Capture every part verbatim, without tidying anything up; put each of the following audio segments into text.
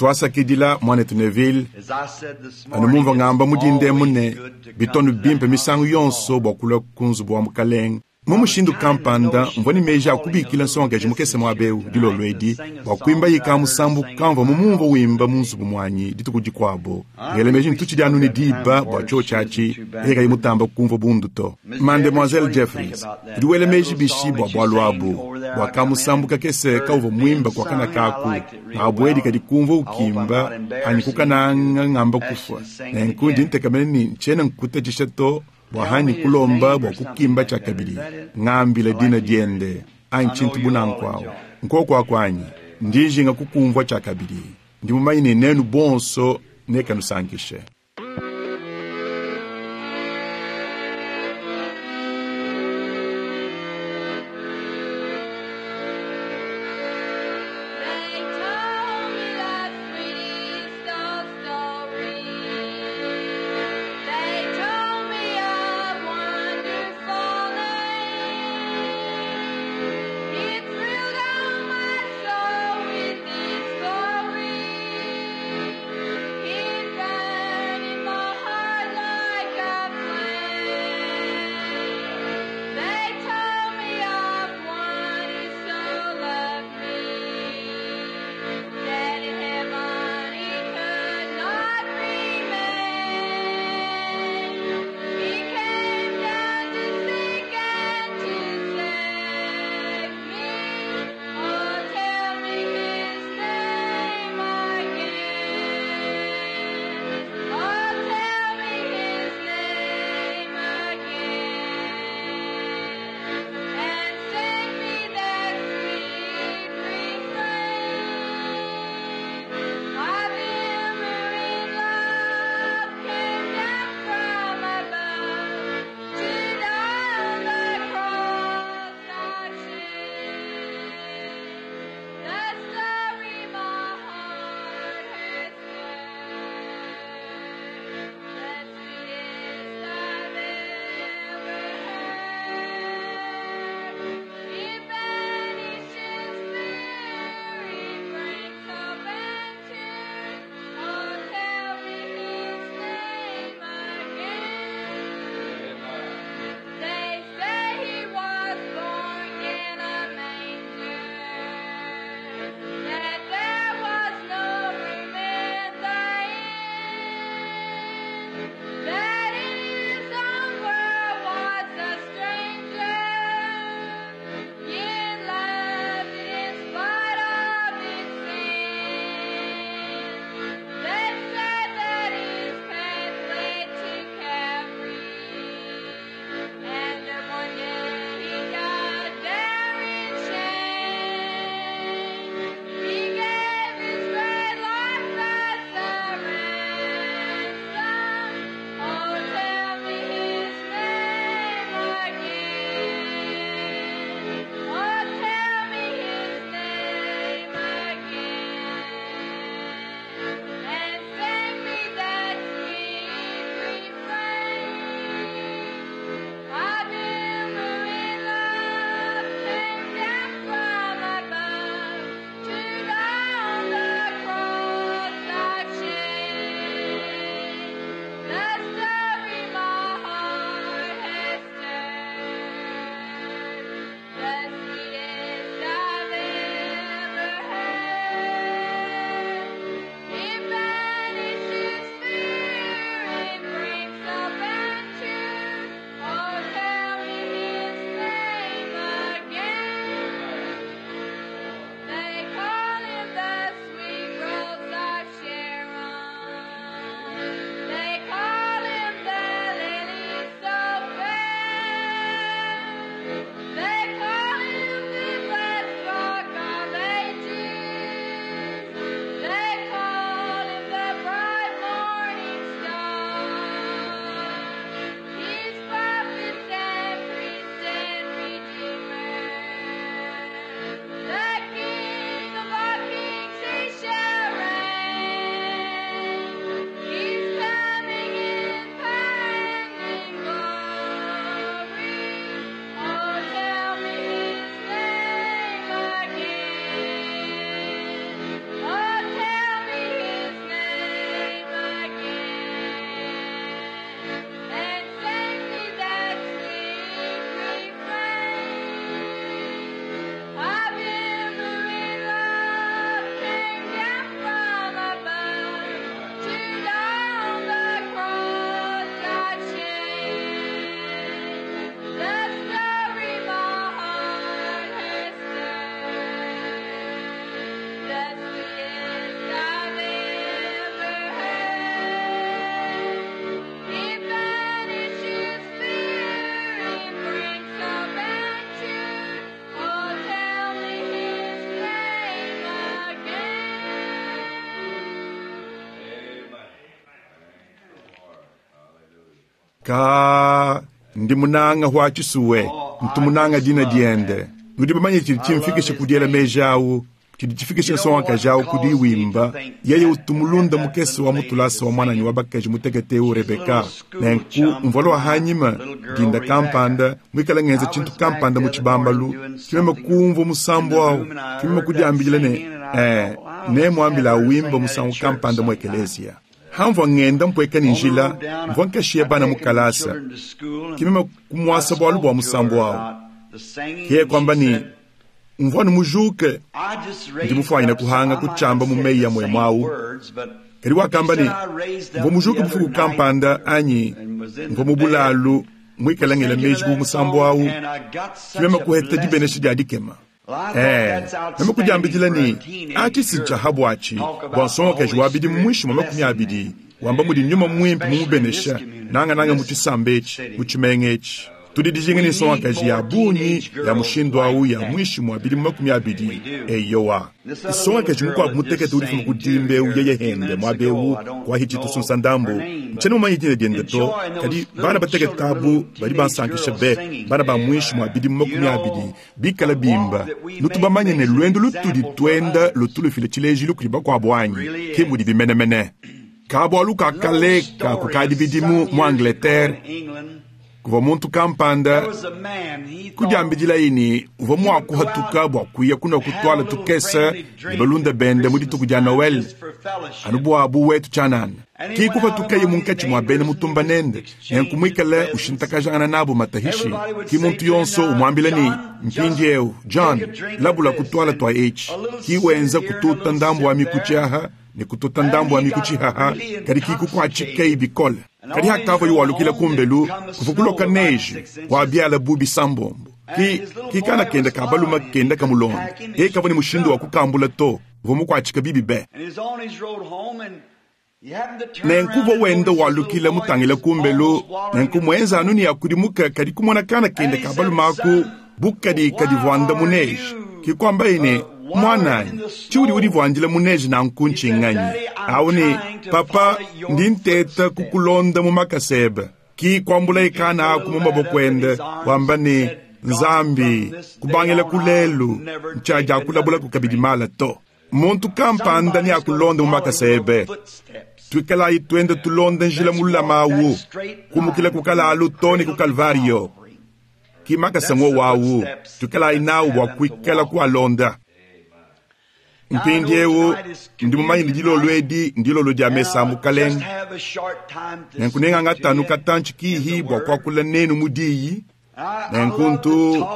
Twasakidila, Mwanetu Neville. Anu mumvwa ngamba mu dinda emu ne, bitu anu bimpe misangu yonso bwa kulwa ku nzubu wa Mukalenge. Mu mushindu kampanda, mvwa ne meeji a kubiikila nsongakaji mukese mwaba ewu, dilolo edi, bwa kwimbaye kaamusambu kamvwa mumumvwe wimba mu nzubu mwanyi dituku dikwabo. Ngela meeji ne tucidi anu ne diba bwa cyoci aci, yeye kayi mutamba kumvwa bundu to. Mademoiselle Jeffries, udi wela meeji bishi bwa bwalu abu, bwa kaamusambu kakese kawuvwa mwimba kwaka nakaku, ngabwedi kadi kumvwa ukimba, anyi kukananga ngamba kufwa. Nenku ndi ntekemena ne ncyena nkutacisha to bwa hanyi kulomba bwa kukimba cyakabidi, ngambila dina dyende, anyi cintu bu nanku awu. Nkwoko aku anyi, ndi njinga kukumvwa cyakabidi. Ndi mumanye ne nenu bonso nekanusankishe. They told me that sweet story. They told me a wonderful name. It thrilled all my soul with its glory. It Ka ndi munanga wa tshisuwe, ntu munanga dina diende. Nudi bamanye tshidi tshimfikisha ku diela meji awu, tshidi tshifikisha nsongakaji awu ku diwimba. Yeye utu mulunda mukese wa mutulasa wa mwananyi wa bakaji mutekete eu Rebeka. Nenku mvua lwa hanyima dinda kampanda mwikala ngenza tshintu kampanda mu tshibambalu, kimeme kumvua musambu awu, kimeme kudiambila ne, eh, nemwambila awimba musangu kampanda mu ekeleziya. Hamvua ngenda mpweka ni njila, mvua nkashiya bana mu kalasa, kimeme kumwasa bwalu bwa musambu awu. Kiye kwamba ni mvua numujuke ndi mufwanyina kuhanga kuchamba mu meyi ya mwemu awu. Kadi wakamba ni mvua mujuke bufuku kampanda anyi mvua mu bulalu mwikala ngela meji ku musambu awu, kimeme kuheta dibenesha dia dikema. Eh, meme kudiambidila ni atshi ntsha habwatshi bwa nsongakaji wa bidi mwishi mwa makumi abidi wamba mudi nyuma mwimpe mumubenesha nangananga mu tshisamba etshi mu tshimenga etshi. Tudi dijinga ni nsongakaji ya bungi ya mushindu awu ya mwishi mwa bidi makumi abidi eyowa. Nsongakaji mukuabu mutekete udi kudimba eu yeye hende muaba eu kwa hitshi tusunsa ndambu. Ntshiena mumanye dina diende to, kadi bana batekete abu badi bansankisha be, bana ba mwishi mwa bidi makumi abidi bikala bimba. Nutu bamanye ne lwendo lutudi twenda lutu lufila tshilejilu kudi bakuabu anyi, ke mudi bimenemene. Kabwalu ka kale ka kukadi bidimu mu Angleterre, kuvua muntu kampanda kudiambidila ini uvua mua kuhatuka bua kuya kuna kutwala tukese ne balunda bende mu dituku dia Noel anu bua bu wetu tshianana. Ki kupatukaye munkatshi mua bena mutumba nende, nenku muikale ushintakajangana nabo matahishi. Ki muntu yonso umuambila ni mpindiewu John labula kutwala twa etshi. Ki wenza kututa ndambu wa mikutshi aha ne kututa ndambu wa mikutshi haha, kadi ki kukuatshika bikole. Kadi hakava yuwalukila kumbelu kuvukuloka neji wa biala bubi sambombo. Ki, ki kana kenda ka baluma kenda ka mulonda. E kava ni mushindu wa kukambula to, uvua mukuatshika bibi be. Nenku uvua wenda walukila mutangila kumbelu, nenku mwenza anu ni akudimuka kadi kumona kana kenda ka baluma aku bukadi kadivuanda mu neji. Ki kwamba ine, mwananyi, tshiudi udivuandila mu neji nanku ntshinganyi. Awu ni, papa, ndi nteta kukulonda mu makasebe. Ki kwambula ikana aku mu maboko ende, wamba ni, Nzambi, kubangila kulelu, ntshaja kulabula kukabidi mala to. Muntu kampanda ni akulonda mu makasebe. Twikalayi twende tulonda njila mulama awu, kumukila kukalalu to ni ku Kalvario. Ki makasa ngo wawu, twikalayi nawu bua kuikala kualonda. Mpindiewu ndi mumanye ni dilolo edi ndilolo dia mesa mukalenge. Nenku nenganga tanu katantshi kihi bua kuakula nenu mu diyi. Nenku ntu,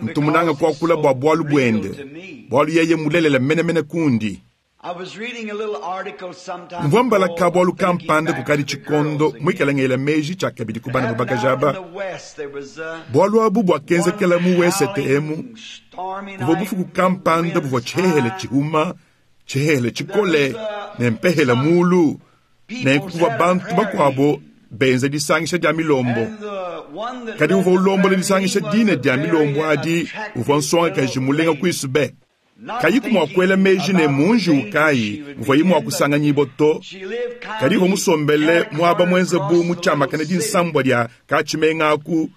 ntu munanga kuakula bua bualu buende, bualu yeye mulelela menemene kundi. Mvua mbala ka bualu kampanda kukadi tshikondo muikala ngela meji tshiakabidi ku bana babakaji aba. Bualu abu buakenzekela mu wesete emu, kuvua bufuku kampanda buvua tshihehele tshihuma, tshihehele tshikole ne mpehela mulu. Nenku kuvua bantu bakuabo benza disangisha dia milombo. Kadi uvua ulombola disangisha dine dia milombo adi, uvua nsongakaji mulenga kuisu be. Kayiku mua kuela meji ne munji ukayi muvua mua kusanganyibwa to. Kadi uvua musombele muaba mwenza bu mutshiamakane dinsambwa dia katshimenga aku.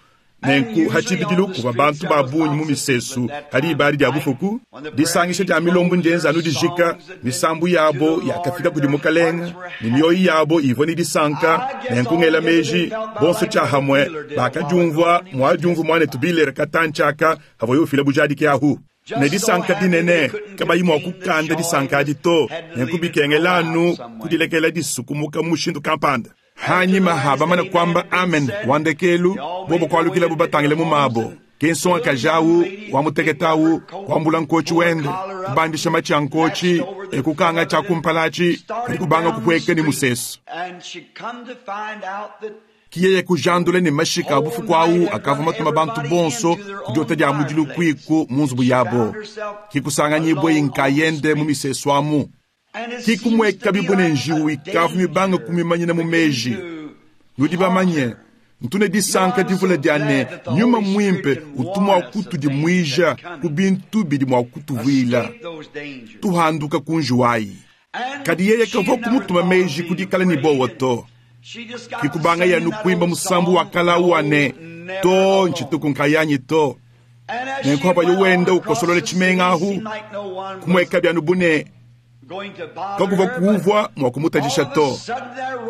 Nenku hatshibidilu kuvua bantu ba bungi mu misesu hadi ibadi dia bufuku. Disangisha dia milombo ndienza anu dijika, misambu yabo yakafika kudi mukalenga, ne mioyo yabo ivua ne disanka. Nenku ngela meji bonso tshiahamwe bakadiumvua muadiumvua muanetu bilere katantshaka havua yofila bujadiki ahu. Ne disanka dinene kabayi mua kukanda disanka adi to. Nenku bikengela anu kudilekela disukumuka mu mushindu kampanda. Hanyima habamana kwamba amen wandekelu bobo kwalukila bo batangile mu mabo. Ke nsongakaji awu wa mutekete awu kwambula nkotshi wende, kubandisha matshi a nkotshi, e kukanga tshia kumpala atshi, kadi kubanga kupueka ni musesu. Ki yeye kujandula ne mashika a bufuku awu akavua matuma bantu bonso ku diota dia mudilu kuiku mu nzubu yabo. Ki kusanganyibwe nkayende mu misesu amu. Ki kumweka bibone njiwu ikavu mibanga kumimanyina mu meji. Nudi bamanye, ntune disanka divula dia ne nyuma mwimpe utumwa kutudimuija ku bintu bidi mua kutuvuila. Tuhanduka ku njiwayi. Kadi yeye kavua kumutuma meji kudikala ni bowa to. Kikubanga yanu kuimba musambu wa kala wa ne to nchituku nkayanyi to. Nenku habayo wenda ukosolola tshimenga ahu kumweka byanu bune kakuva kuvwa mwa kumutajisha to.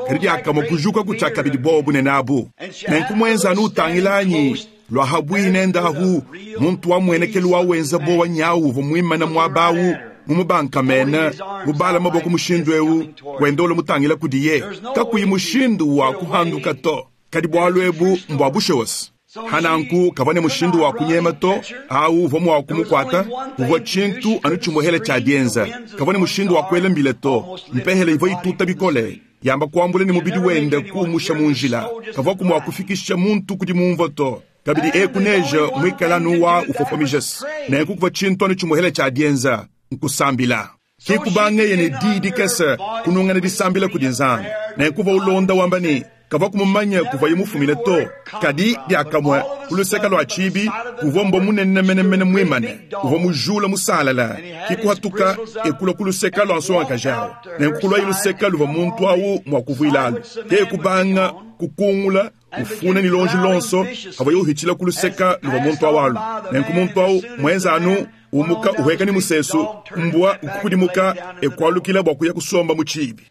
Kadi diakamue kujuka kutshiaka bidi bobo bunene abu. Nenku muenza anu utangilanyi lwa habwine ndahu muntu wa muenekelu wa wenza bowa nyawu uvua muimana muaba awu mumubankamene mubala maboko mushindu ewu wenda ula mutangila kudiye kakuyi mushindu wa kuhanduka to. Kadi bwalu ebu mbwa bushewosi. Hananku kavua ne mushindu wa kunyema to awu uvua mua kumukuata uvua tshintu anu tshimuhele tshia dienza. Kavua ne mushindu wa kuela mbila to mpehele ivua ituta bikole yamba kuambula ne mubidi wenda kuumusha mu njila. Kavua kumua kufikisha muntu kudi mumvua to. Kabidi eku neje muikala anu wa ufofomijesi. Nenku kuvua tshintu anu tshimuhele tshia dienza nkusambila. Kikubangeye ne didi kese kunungana disambila kudi Nzambi. Nenku kuvua ulonda wamba ne kavua kumumanya kuvuaye mufumine to. Kadi diakamue ku luseke lua tshibi kuvua mbwa munene menemene muimane uvua mujula musalala. Kikuhatuka ekula ku luseke lua nsongakaji awu. Nenku kulua luseke luvua muntu awu mua kuvuilalu. Ke kubanga kukungula ufuna ni lonji lonso havuaye uhitshila ku luseke luvua muntu awu alu. Nenku muntu awu muenza anu umuka uheka ni musesu mbwa ukukudimuka ekualukila bua kuya kusomba mu tshibi.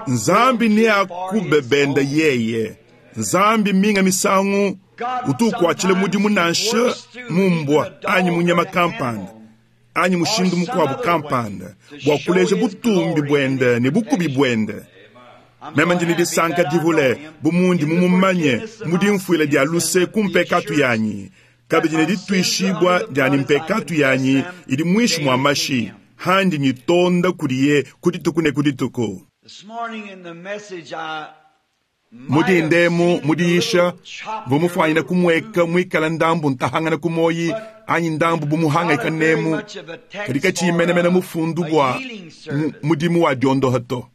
Nzambi ne akubebenda yeye. Nzambi minga misangu utukuatshila mudimu nansha mumbwa anyi munyama kampanda anyi mushindu mukuabu kampanda bua kuleja butumbi buende ne bukubi buende. Meme ndi ne disanka divule bu mundi mumumanye mudi mfuila dia luse ku mpekatu yanyi kabidi ne dituishibua diani mpekatu yanyi idi muinshi mua mashi handi nyitonda kudiye ku dituku ne ku dituku. Mudi ndemu mudiyisha vumufwanyina kumweka mwikala ndambu ntahangana kumoyi anyi ndambu bumuhangaika nemu kadi katshimenemene mufundu bua mudimu wa diondoha to.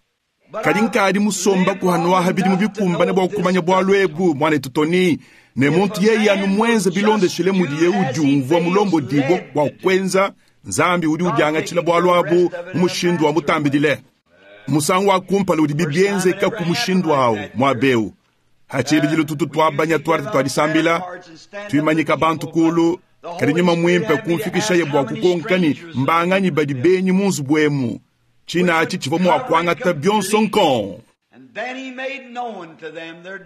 Kadi nkadi musomba kuhanuaha bidimu bikumbane bua kumanya bwalu ebu mwanetu Tony ne muntu yeye anu mwenze bilondeshile mudiye udiumvua mulombo dibo bua kwenza Nzambi udi udiangatshila bwalu abu mu mushindu wa mutambidile. Musangu wa kumpala udi bibienzeka ku mushindu awu muabeu. Hatshibidilu tutu twabanya twarte twadisambila tuimanyika bantu kulu kadi nyuma muimpe kumfikishaye bua kukonkani mbanganyi badi benyi mu nzubu emu. Tshina atshi tshivua mua kuangata bionso nkon.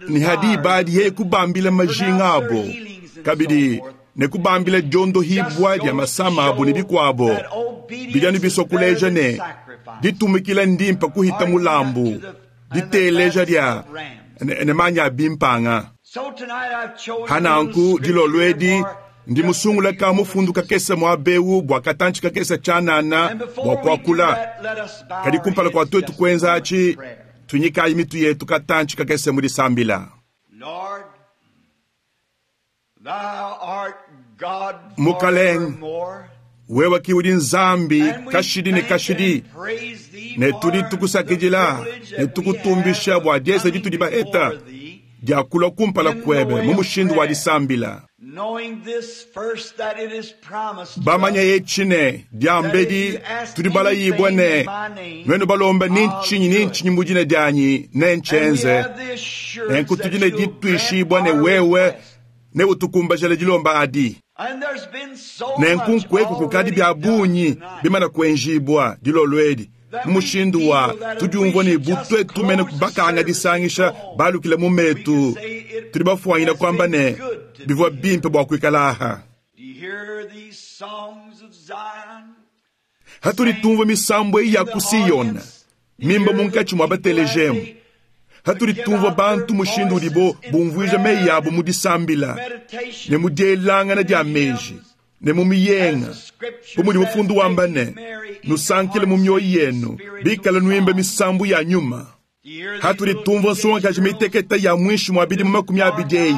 Ni hadi badi yeye kubambila majinga abo kabidi ne kubambila diondo hibwa dia masama abo ne bikuabo. Bidianu bisokuleja ne ditumikila ndimpa kuhita mulambu diteleja dia ne manya bimpanga. Hananku dilolwedi ndi musungula ka mufundu kakese mwa bewu bua katantshi kakese tshanana bua kuakula. Kadi kumpala kua twetu kuenza atshi tunyikayi mitu yetu katantshi kakese mu disambila. Mukalenge wewe ki udi Nzambi kashidi ne kashidi ne tudi tukusakidila ne tukutumbisha bua diesa ditudi baheta dia kulua kumpala kuebe mu mushindu wa disambila. Bamanya etshi ne diambedi tudi balayibwa ne nuenu balomba ni ntshinyi ni ntshinyi mu dina dianyi ne ntshenze. Nenku tudi ne dituishibwa ne wewe ne utukumbajele dilomba adi. Nenku nkweku kukadi bya bunyi bimana kuenjibwa dilolwedi mu mushindu wa tudiumvua ne butwe tumene bakanga disangisha balukile mu metu tudi bafuanyina kwamba ne bivua bimpe bua kuikala aha. Hatudi tumvua misambu eyi ya ku Siyona mimba munkatshi mua batelejemu. Hatudi tumvua bantu mushindu udibo bumvuija meyi yabo mu disambila ne mu dielangana dia meji ne mu miyenga bu mudi mufundu wamba ne nusankile mu mioyo yenu bikala nuimba misambu ya nyuma. Hatudi tumvua nsongakaji miteketa ya mwishi mua bidimu makumi abidi eyi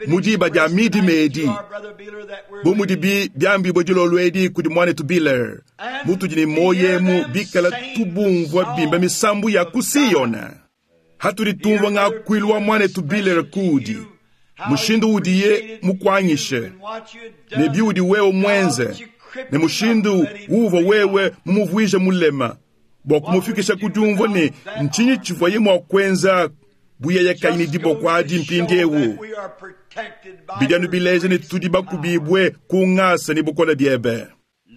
mu diba dia midi medi bu mudi bi biambibue dilolo edi kudi mwanetu Biller mutudi ne moyo emu bikala tubumvua bimba misambu ya ku Siyona. Hatudi tumvua ngakuilu wa mwanetu Biller kudi mushindu udiye mukuanyishe ne biudi wewe mwenze ne mushindu uva wewe mumuvuije mulema Bua kumufikisha ku diumvua ne ntshinyi tshivuaye mua kuenza bu yeye kayi ne diboko adi mpindiewu. Bidi anu bileja ne tudi bakubibue ku ngasa ne bukole biebe.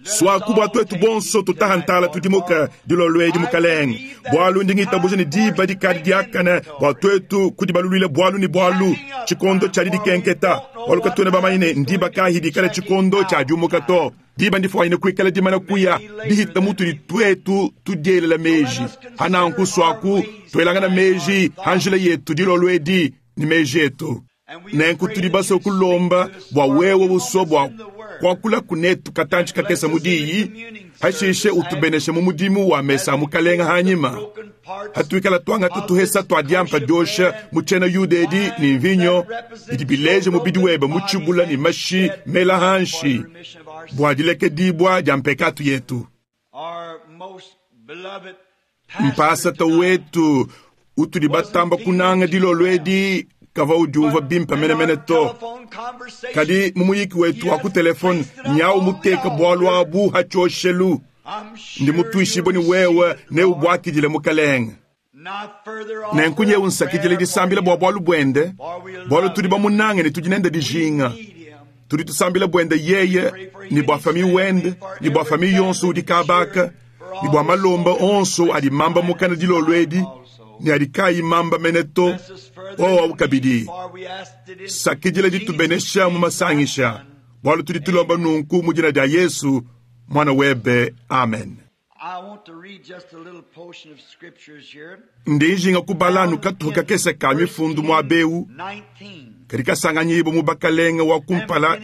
Suaku bua tuetu bonso tutaha ntala tudimuka dilolo edi Mukalenge, bualu ndi ngitabuja ne diba dikadi diakane bua tuetu kudibaluluila bualu ne bualu tshikondo tshia didikenketa, bualu katuena bamanye ne ndiba kayi dikala tshikondo tshia diumuka to. Diba ndifuanyine kuikala dimana kuya dihita mutudi tuetu tudielela meji. Hananku suaku tuelangana meji ha njila yetu dilolo edi ne meji etu. Nenku tudi basue kulomba bua wewe usua bua kuakula kunetu katantshi kakese mu diyi, hashishe utubeneshe mu mudimu wa mesa a Mukalenga hanyima. Hatuikala tuangata tuhesa tua diampa diosha mu tshiena Yuda edi ne mvinyo bidi bileja mubidi webe mu tshibula ne mashi mela hanshi bua dilekedibua dia mpekatu yetu. Mpasata wetu utudi batamba kunanga dilolo edi kava udiumvua bimpe menemene to. Kadi mu muyiki wetu wa ku telefone nyawu muteka bualu abu hatshioshelu. Ndi mutuishibue ne wewe neubuakidile Mukalenge. Nenku nyewu nsakidile disambila bua bualu buende, bualu tudi bamunange ne tudi nende dijinga. Tudi tusambila buende yeye ne bua famiye wende ne bua famiye yonso udi kabaka ne bua malomba onso adi mamba mukana dilolo edi ne adi kayi mamba mene to. Owawu kabidi sakidila ditubenesha mu masangisha, bualu tudi tulomba nunku mu dina dia Yesu mwana webe, amen. Ndi njinga kubala anu katuha kakese ka mifundu muabewu kadi kasanganyibo mu bakalenga wa kumpala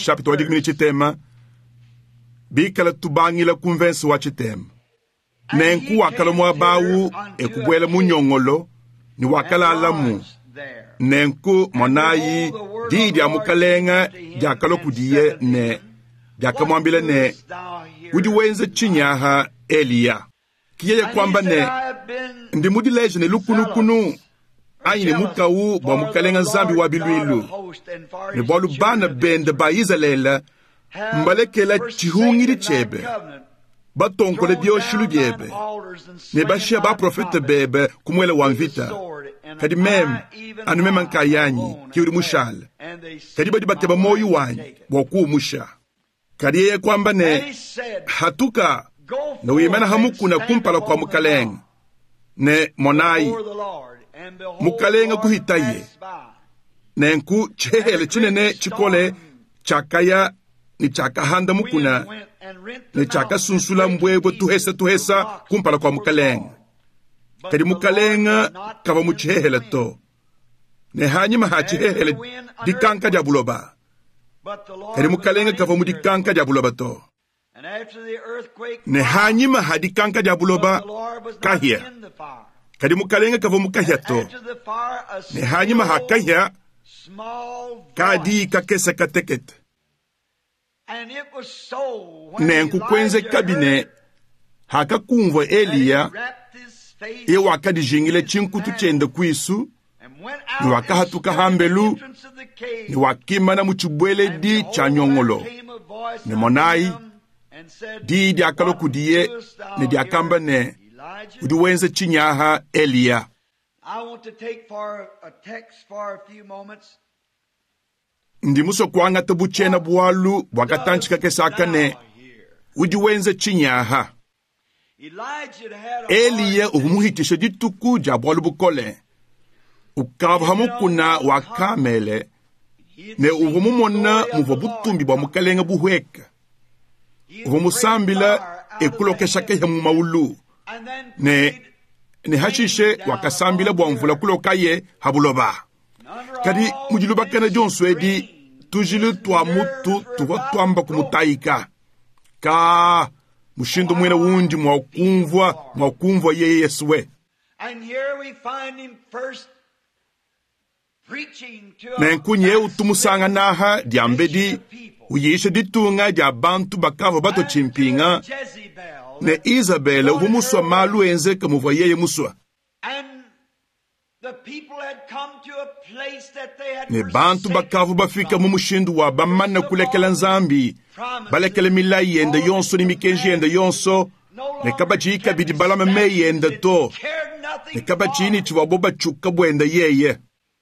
chapitre wa dikumi ne tshitema bikala tubangila ku mvense wa tshitema. Nenku wakala muabawu ekubuela mu nyongolo ne wakalalamu. Nenku monayi diyi dia Mukalenga diakalua kudiye ne diakamuambila ne, udi wenza tshinyi aha Eliya? Kiyeye kuamba ne, ndi mudileje ne lukunukunu anyi ne mukawu bua Mukalenga Nzambi wa biluilu, ne bualu bana bende ba Izalele mbalekela tshihungidi tshiebe, batonkole bioshilu biebe ne bashia baprofete bebe ku muele wa mvita. Kadi meme anu meme nkayanyi ke udi mushale, kadi badi bakeba moyo wanyi bua kuumusha. Kadi yeye kuamba ne, hatuka ne wimana hamukuna kumpala kua Mukalenga. Ne monayi, Mukalenga kuhitaye. Nenku tshihehele tshinene tshikole tshiakaya ne tshiakahanda mukuna ne tshiakasunsula mbwebwe tuhesa tuhesa kumpala kua Mukalenga. Kadi Mukalenga kava mu tshihehele to, ne hanyima ha tshihehele dikanka dia buloba. Kadi Mukalenga kava mu dikanka dia buloba to, ne hanyima ha dikanka dia buloba kahia. Kadi Mukalenga kava mu kahia to, ne hanyima ha kahia kadi kakese katekete. Nenku kuenzeka bine hakakumvua Eliya, ye wakadijingila tshinkutu tshiende kuisu ne wakahatuka hambelu ne wakimana mu tshibueledi tshia nyongolo. Ne monayi, diyi diakalua kudiye ne diakamba ne, udi wenza tshinyi aha Eliya? Ndi musue kuangata bu tshiena bualu bua katantshi kakese aka ne, udi wenza tshinyi aha? Eliya uvua muhitishe dituku dia bualu bukole. Ukavua hamukuna wa Kamele ne uvua mumona muvua butumbi bua Mukalenga buhweka. Uvua musambila ekulokesha kehe mu maulu ne ne hashishe wakasambila bua mvula kulokaye habuloba. Kadi mu dilubakana dionso edi tujilu tua mutu tuvua tuamba kumutayika. Ka mushindu muena wundi mua kumvua mua kumvua yeye Yesuwe. Nenku nyeu tumusanganaha diambedi uyisha ditunga dia bantu bakavua batua tshimpinga ne Isabele uvua musua malu enzeka muvua yeye musua. Ne bantu bakavua bafika mu mushindu wa bamana kulekela Nzambi, balekela milayi yende yonso ne mikenji yende yonso, Ne kabatshiyi kabidi balame meyi ende to, ne kabatshiyi ne tshivuabo batshiuka buende yeye.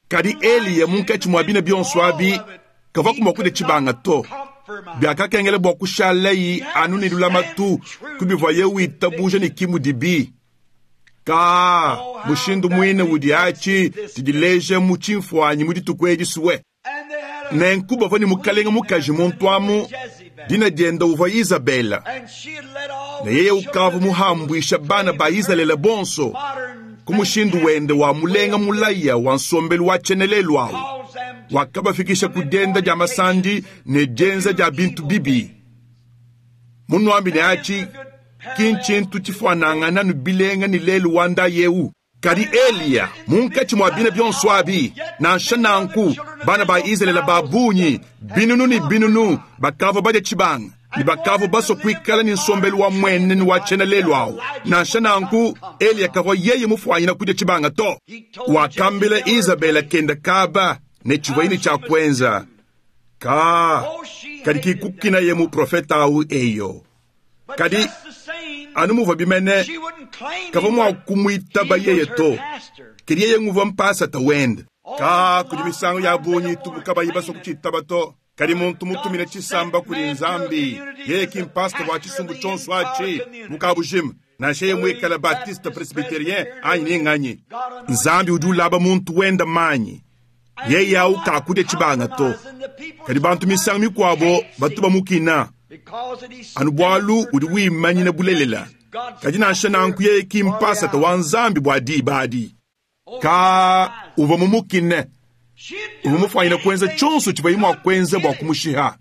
Kadi Eliya munkatshi mua bina bionso abi kavuaku mua kudia tshibanga to. Biakakengela bua kushalaye anu ne lulamatu ku bivuaye witabuja ne ki mudibi. Ka mushindu muine udi atshi tshidileja mu tshimfuanyi mu dituku edi suwe. Nenku bavua ne mukalenge mukaji muntu amu, dina diende uvua Izabela, ne yeye ukavua muhambuisha bana ba Izalele bonso ku mushindu wende wa mulenga mulaya wa nsombelu wa tshienelelu awu, wakabafikisha ku dienda dia masandi ne dienza dia bintu bibi. Munuambi ne atshi ki ntshintu tshifuanangana ne bilenga ne lelu wa ndayi eu. Kadi Eliya munkatshi mua bina bionso abi, nansha nanku bana ba Izalele ba bungi binunu ne binunu bakavua badia tshibanga ne bakavua basua kuikala ne nsombelu wa muenenu wa tshiena lelu awu. Nansha nanku Eliya kavua yeye mufuanyina kudia tshibanga to. Wakambila Izabela kenda kaba ne tshivuaye ne tshia kuenza. Ka kadi kikukinaye muprofeta awu eyo. Kadi anu muvua bimene kavua mua kumuitaba yeye to. Kadi yeye nguvua mpasata wende. Ka kudi misangu ya bungi tubu kabayi basua kutshiitaba to. Kadi muntu mutumine tshisamba kudi Nzambi, yeye ki mpasata wa tshisumbu tshionso atshi mukabujima, nansha yeye muikale Baptiste, Presbyterien anyi ninganyi. Nzambi udi ulaba muntu wenda manyi, yeye awu kakudia tshibanga to. Kadi bantu misangu mikuabo batu bamukina anu bualu udi wimanyina bulelela. Kadi nansha nanku yeye ki mpasata wa Nzambi bua diba adi. Ka uvua mumukine, uvua mufuanyine kuenza tshionso tshivuaye mua kuenza bua kumushiha.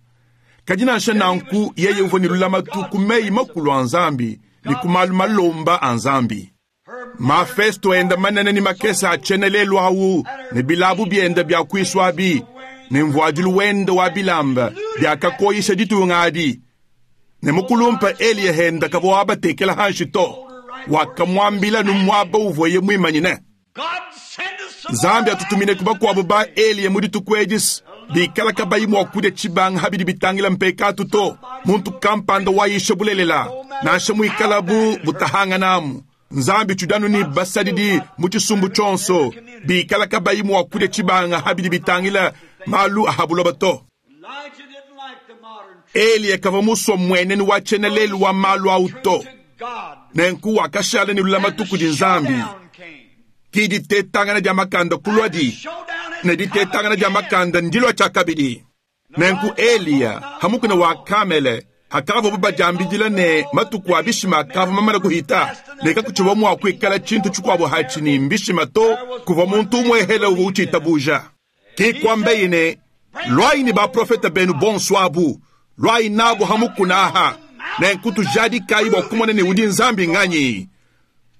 Kadi nansha nanku yeye uvua ne lulamatu ku meyi makulu a Nzambi ne ku malu malomba a Nzambi. Mafesto enda manene ne makese a tshienelelu awu ne bilabu biende bia kuisu abi ne mvuadilu wende wa bilamba biakakoyisha ditunga adi. Ne mukulumpa Eliya henda kavua wabatekela hanshi to. Wakamuambila nu muaba uvuaye muimanyine. Nzambi atutumine ku bakuabo ba Eliya mu dituku edi bikala kabayi mua kudia tshibanga habidi bitangila mpekatu to. Muntu kampanda wayisha bulelela nansha muikalabu butahanganamu. Nzambi tudanu ni basadidi mu tshisumbu tshionso bikala kabayi mua kudia tshibanga habidi bitangila malu a habuloba to. Eliya kavua musua muenenu wa tshienelelu wa malu awu to. Nenku wakashala ne lulamatu kudi Nzambi. Ki ditetangana dia makanda kulua di ne ditetangana dia makanda ndilua tshiakabidi. Nenku Eliya hamukuna wa Kamele akavua badiambidila ne matuku a bishima akavua mamana kuhita ne kakutshiwa mua kuikala tshintu tshikuabo hatshi ni mbishima to kuvua muntu umwe uvua utshitabuja. Ki kuambeyi ne lwai ni baprofeta benu bonso abu lwai nabo hamukuna aha nenku tujadikayi bua kumona ne udi Nzambi nganyi.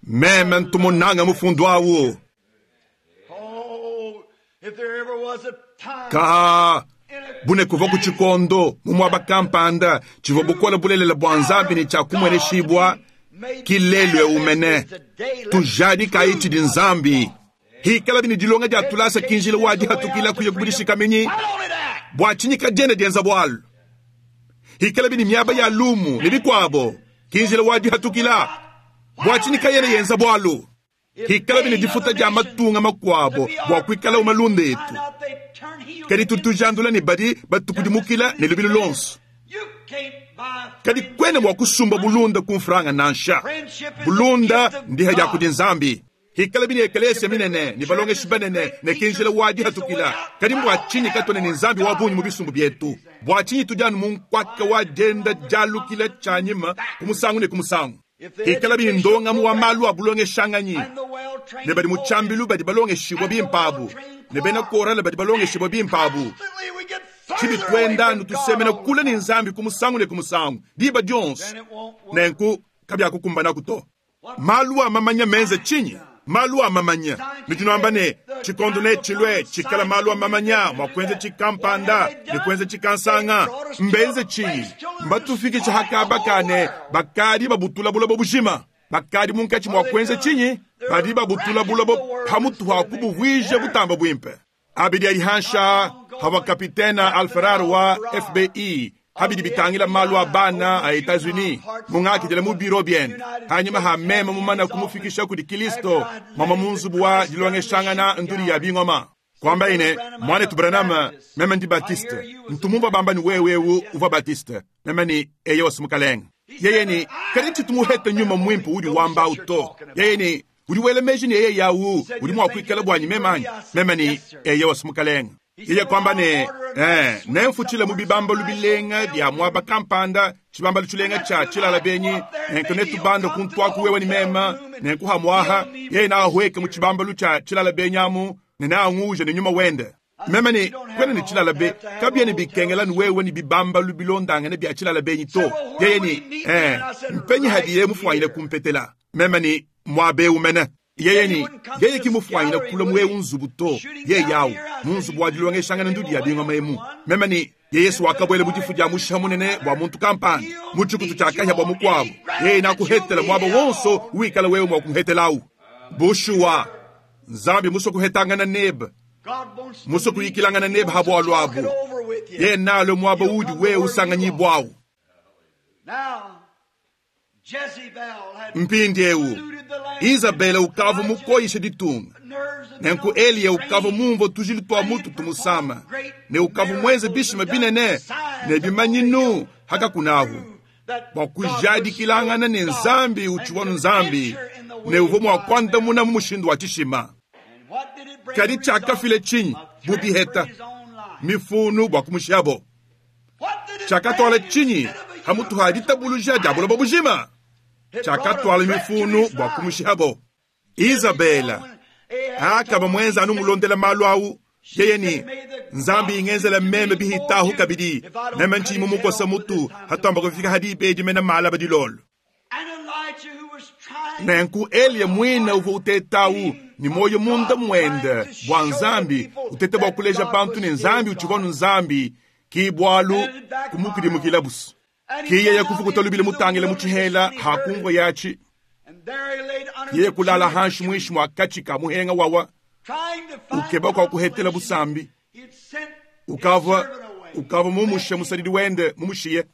Meme ntumunanga mufundu awu. Ka bune kuva ku tshikondo mu muaba kampanda tshivua bukola bulelela bua Nzambi ne tshia kumueneshibua kilelu eumene. Tujadikayi tshidi Nzambi. Hikala bini dilonga dia tulasa kinjila wa dihatukila kuya kubudishikamenyi bua tshinyika diende dienza bualu. Hikala bini miaba ya lumu ne bikuabo kinjila wa dihatukila bua tshinyika yene yenza bualu. Hikala bini difuta dia matunga makuabo bua kuikala umalunda etu. Kadi tutujandula ne badi batukudimukila ne lubilu lonso. Kadi kwene mua kusumba bulunda ku mfranga nansha. Bulunda ndiha dia kudi Nzambi. Hikala bini ekelesia minene ni balongeshi banene ne kinjila wa dihatukila. Kadi mbua tshinyi katone ne Nzambi wa bungi mu bisumbu bietu. Bua tshinyi tudianu mu nkwaka wa dienda dialukila tshianyima ku musangu ne ku musangu. Hikala bini ndongamu wa malu a bulongeshanganyi ne badi mu tshiambilu badi balongeshibwa bimpabu ne bena korale badi balongeshibwa bimpabu. Tshibi tuenda nutusemena kule ne Nzambi ku musangu ne ku musangu diba dionso. Nenku kabiakukumbanaku to. Malu a mamanya menze tshinyi? Malu a mamanya nitunuamba ne tshikondo ne tshilue tshikala malu a mamanya mua kuenza tshikampanda ne kuenza tshikansanga. Mbenze tshinyi? Mbatufikisha hakabakane bakadi babutula buloba bujima. Bakadi munkatshi mua kuenza tshinyi? Badi babutula buloba pamutu ha kubuvuija butamba buimpe. Abidi alihansha hawa kapitena Alferar wa F B I Habidi bitangila malu a bana a Etats-Unis mungakidila mu biro biende hanyuma ha meme mumana kumufikisha kudi Kristo mama mu nzubu wa dilongeshangana nduli ya bingoma kwamba ine mwanetu Branham meme ndi Baptiste ntumumva bamba ni wewewu uvua Baptiste meme ni eye wasimukalenga yeye ni kadi ntshitumuhete nyuma mwimpe udi wamba uto yeye ni udi wela meji ni eye yawu udi mua kuikala bwanyi memanyi meme ni eye wasimukalenga yeye kwamba ne eh nemfutshile mu bibambalu bilenga bya mwaba kampanda tshibambalu tshilenga tshia tshilala benyi nenku netubanda kuntwaku wewe ni mema nenkuhamwaha yeye naahweke mu tshibambalu tshia tshilala benyi amu ne naanguja ne nyuma wende meme ni kwena ni tshilala be kabia ni bikengela ni wewe ni bibambalu bilondangane bya tshilala benyi to yeye ni eh mpenyi hadiye mufwanyile kumpetela meme ni mwabe umene yeye ni yeye kimufwanyile kula mwewu nzubu to ye yawu mu nzubu wa dilongeshangana ndudi ya bingoma emu meme ni ye Yesu wakabwela mu difu dia mushiha munene bwa muntu kampanda mu tshikutu tshia kahya bwa mukuabu yeye nakuhetela mwaba wonso wikala wewe mwa kumuhetelawu bushuwa Nzambi muso kuhetangana nebe muso kuyikilangana nebe habwalu abu ye nalo mwaba udi wewe usanganyibwawu mpindi ewu Isabela ukava mukoyisha ditunga nenku Eliya ukava mumva tujili twa mutu tumusama ne ukava mwenze bishima binene ne bimanyinu hakakunahu bwa kujadikilangana ne Nzambi uchiwanu Nzambi ne uvo mwa kwandamuna mu mushindu wa tshishima kadi tshakafile tshinyi bubiheta mifunu bwa kumushabo tshakatwala tshinyi hamutu ha ditabuluja dia buloba bujima tshakatwala mifunu bwa kumushabo Isabela akaba mwenza anu mulondela malu awu yeye ni Nzambi ingenzela meme bihitahu kabidi meme ntshimu mukosa mutu hatamba kufika hadi ibeji mena mala badilolo nenku Eliya mwina uvo utetawu ni moyo munda mwende bwa Nzambi utete bwa kuleja bantu ne Nzambi utshivonu Nzambi kibwalu kumukidimukila busu kiye yakufukuta lubile mutangile mutshihela hakumva yachi yeye kulala hanshi mwishi mwa kachika muhenga wawa ukeba kwa kuhetela busambi ukava ukava mumushe musalidi wende mumushiye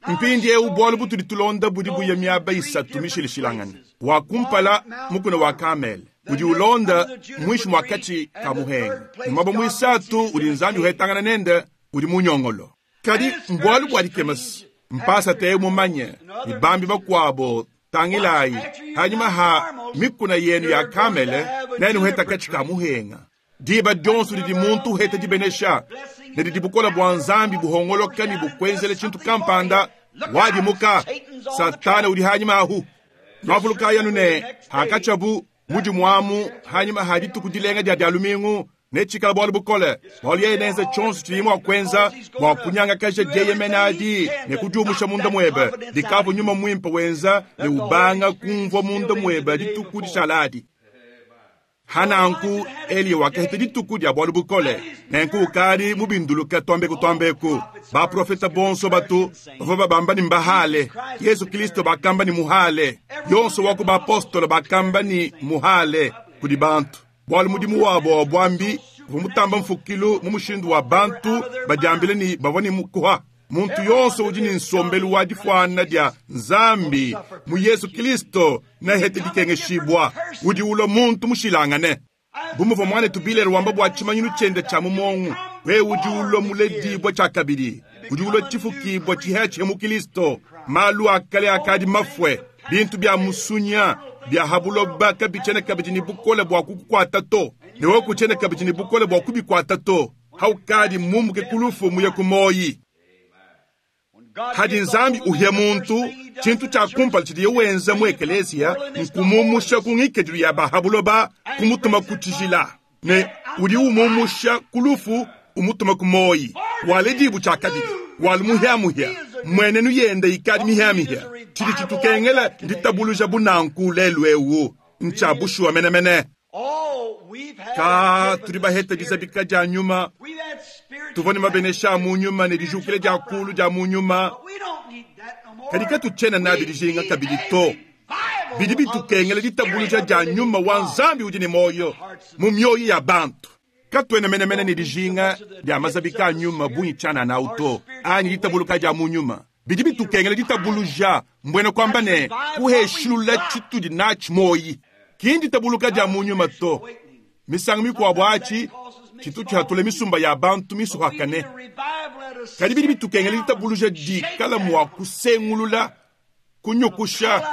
mpindi eu bwalu butudi tulonda budi buya miaba isatu mishilishilangana wakumpala mukuna wa Kamele udi ulonda mwishi mwa kachi ka muhenga mwaba mwisatu udi Nzambi uhetangana nende udi munyongolo kadi mbwalu bwa dikemasi mpasa te mumanye ni bambi bakwabo tangilayi hanyuma ha mikuna yenu ya Kamele nenu uheta kachi ka muhenga diba dionso didi muntu uheta dibenesha ne didi bukola bwa Nzambi buhongoloka ni bukwenzele tshintu kampanda wadimuka Satana udi hanyuma ahu nwavuluka yanu ne hakachabu mudi mwamu hanyuma ha dituku dilenga dia dia lumingu netshikala bwalu bukole bwalu yeye nenza tshonso tshidi mua kuenza bua kunyangakaja dieyemena adi ne kudiumusha munda muebe dikavu nyuma muimpe wenza ne ubanga kumvua munda muebe dituku dishaladi hananku Eliya wakaheta dituku dia bwalu bukole nenku ukadi mubinduluka twambeku twambeku baprofeta bonso batu bavua babamba ni mbahale Yesu Kristo bakamba ni muhale yonso waku baapostolo bakamba ni muhale kudi bantu bwalu mudimu wabo wa bwambi vumutamba mfukilu mu mushindu wa bantu badiambile ni bavua ni mukuha muntu yonso udi ni nsombelu wa difwana dia Nzambi mu Yesu Kristo nahete dikengeshibwa udi ulwa muntu mushilangane bumuva mwana tubilele wamba bwa tshimanyinu tshiende tshia mumongu we udi ulwa muledibwa tshia kabidi udi ulwa tshifukibwa tshihea tshia mu Kristo malu akale akadi mafue bintu bya musunya bya habuloba kabitshene kabidi ni bukole bwa kukukwata to ne wokuchene kabidi ni bukole bwa kubikwata to haukadi mumuke kulufu muye kumoyi hadi Nzambi uhye muntu tshintu tshia kumpala tshidiye wenza mu ekeleziya nkumumusha ku ngikadilu ya bahabuloba kumutuma ku tshijila ne udi umumusha kulufu umutuma ku moyi wale dibu tshia kabidi wali muhyamuhya mwenenu yende ikadi mihyamihya tshidi tshitukengela ditabuluja bunanku lelu ewu ntshia bushuwa menemene ka tudi baheta dizabika dia nyuma tuvua ne mabenesha a mu nyuma ne dijukile dia kulu dia mu nyuma kadi katutshiena nabi dijinga kabidi to bidi bitukengela ditabuluja dia nyuma wa Nzambi udi ne moyo mu mioyo ya bantu Katuena menemene ne dijinga dia mazabika a nyuma bungi tshianana awu to, anyi ditabuluka dia mu nyuma. Bidi bitukengela ditabuluja, mbuena kuamba ne kuheshilula tshitudi natshi moyi. Ki nditabuluka dia mu nyuma to. Misangu mikuabo atshi tshitu tshihatula misumba ya bantu misuhakane. Kadi bidi bitukengela ditabuluja dikala mua kusengulula, kunyukusha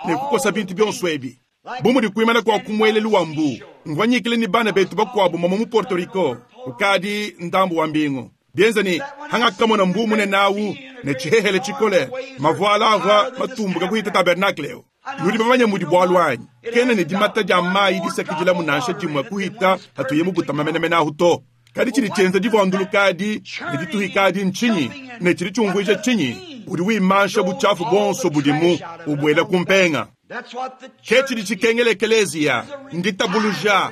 ne kukosa bintu bionso ebi. Bu mudi kuimana kua kumuelelu wa mbu, mvua nyikile ni bana betu bakuabu mama mu Puerto Rico, ukadi ndambu wa mbingu. Bienza ni hangakamona mbu munene awu ne tshihehele tshikole, mavuala avua matumbuka kuhita tabernacle. Nudi bamanye mudi bualu anyi? Kena ne dimata dia mayi disakidila munansha dimue kuhita hatuye mubutama menemene ahu to. Kadi tshidi tshienza divuandulukadi ne dituhikadi ntshinyi? Ne tshidi tshiumvuija tshinyi? Udi wimansha butshiafu buonso budimu ubuela kumpenga. Ke tshidi tshikengela ekeleziya nditabuluja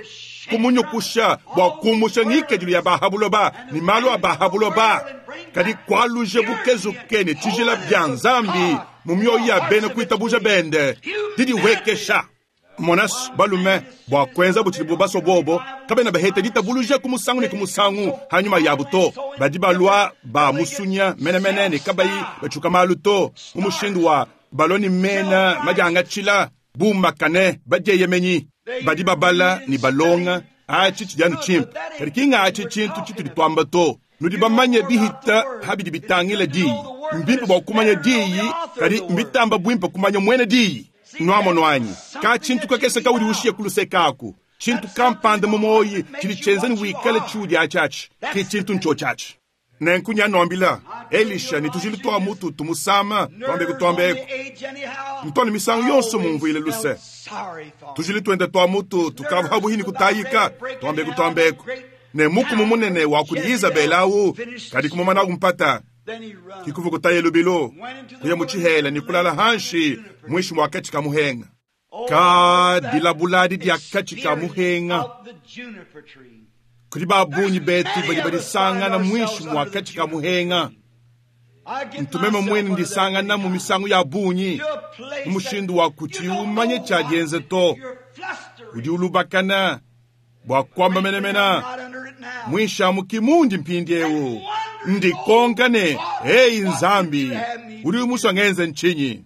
kumunyukusha bua kumusha ngikadilu ya bahabuloba ne malu a bahabuloba, kadi kualuje bukezuke ne tshijila bia Nzambi mu mioyo ya bena kuitabuja bende didiwekesha. Monas balume bua kuenza butshidi baswa bobo kabena baheta ditabuluja ku musangu ne ku musangu hanyuma yabu to. Badi balua ba musunya menemene ne kabayi batshuka malu to mu mushindu wa baloni mena madiangatshila bumakane badieyemenyi. Badi babala ne balonga atshi tshidi anu tshimpe, kadi ki ngatshi tshintu tshitudi tuamba to. Nudi bamanye bihita habidi bitangila diyi. Mbimpe bua kumanya diyi, kadi mbitamba bwimpe kumanya mwene diyi. Nuamono anyi ka tshintu kakese kaudi ushiye kulusekaku tshintu kampanda mu moyi tshidi tshienza ni wikale tshiudi atshiatshi ki tshintu ntshotshiatshi. Nenku nyanuambila Elisha ni tujili twa mutu tumusama twambe kutwambeko ntwana misangu yonso mumvuile luse. Tujili twende twa mutu tukava buhini kutayika twambe kutwambeko ne mukumu munene wa kuli Isabela awu kadi kumumana kumpata kikuvu kutaye lubilo kuya muchihela ni kulala hanshi mwishi mwa kachi kamuhenga. Ka dilabuladi dia kachi kamuhenga kuli babunyi betu badi badisangana mwishi mwa kachi kamuhenga. Ntumeme mwene ndisangana mu misangu ya bunyi mu mushindu wa kuti umanye tshiadienze to. Udi ulubakana bua kuamba menemena mwisha mukimundi mpindiewu ndikonka ne hey Nzambi udi umuswa ngenze nchinyi.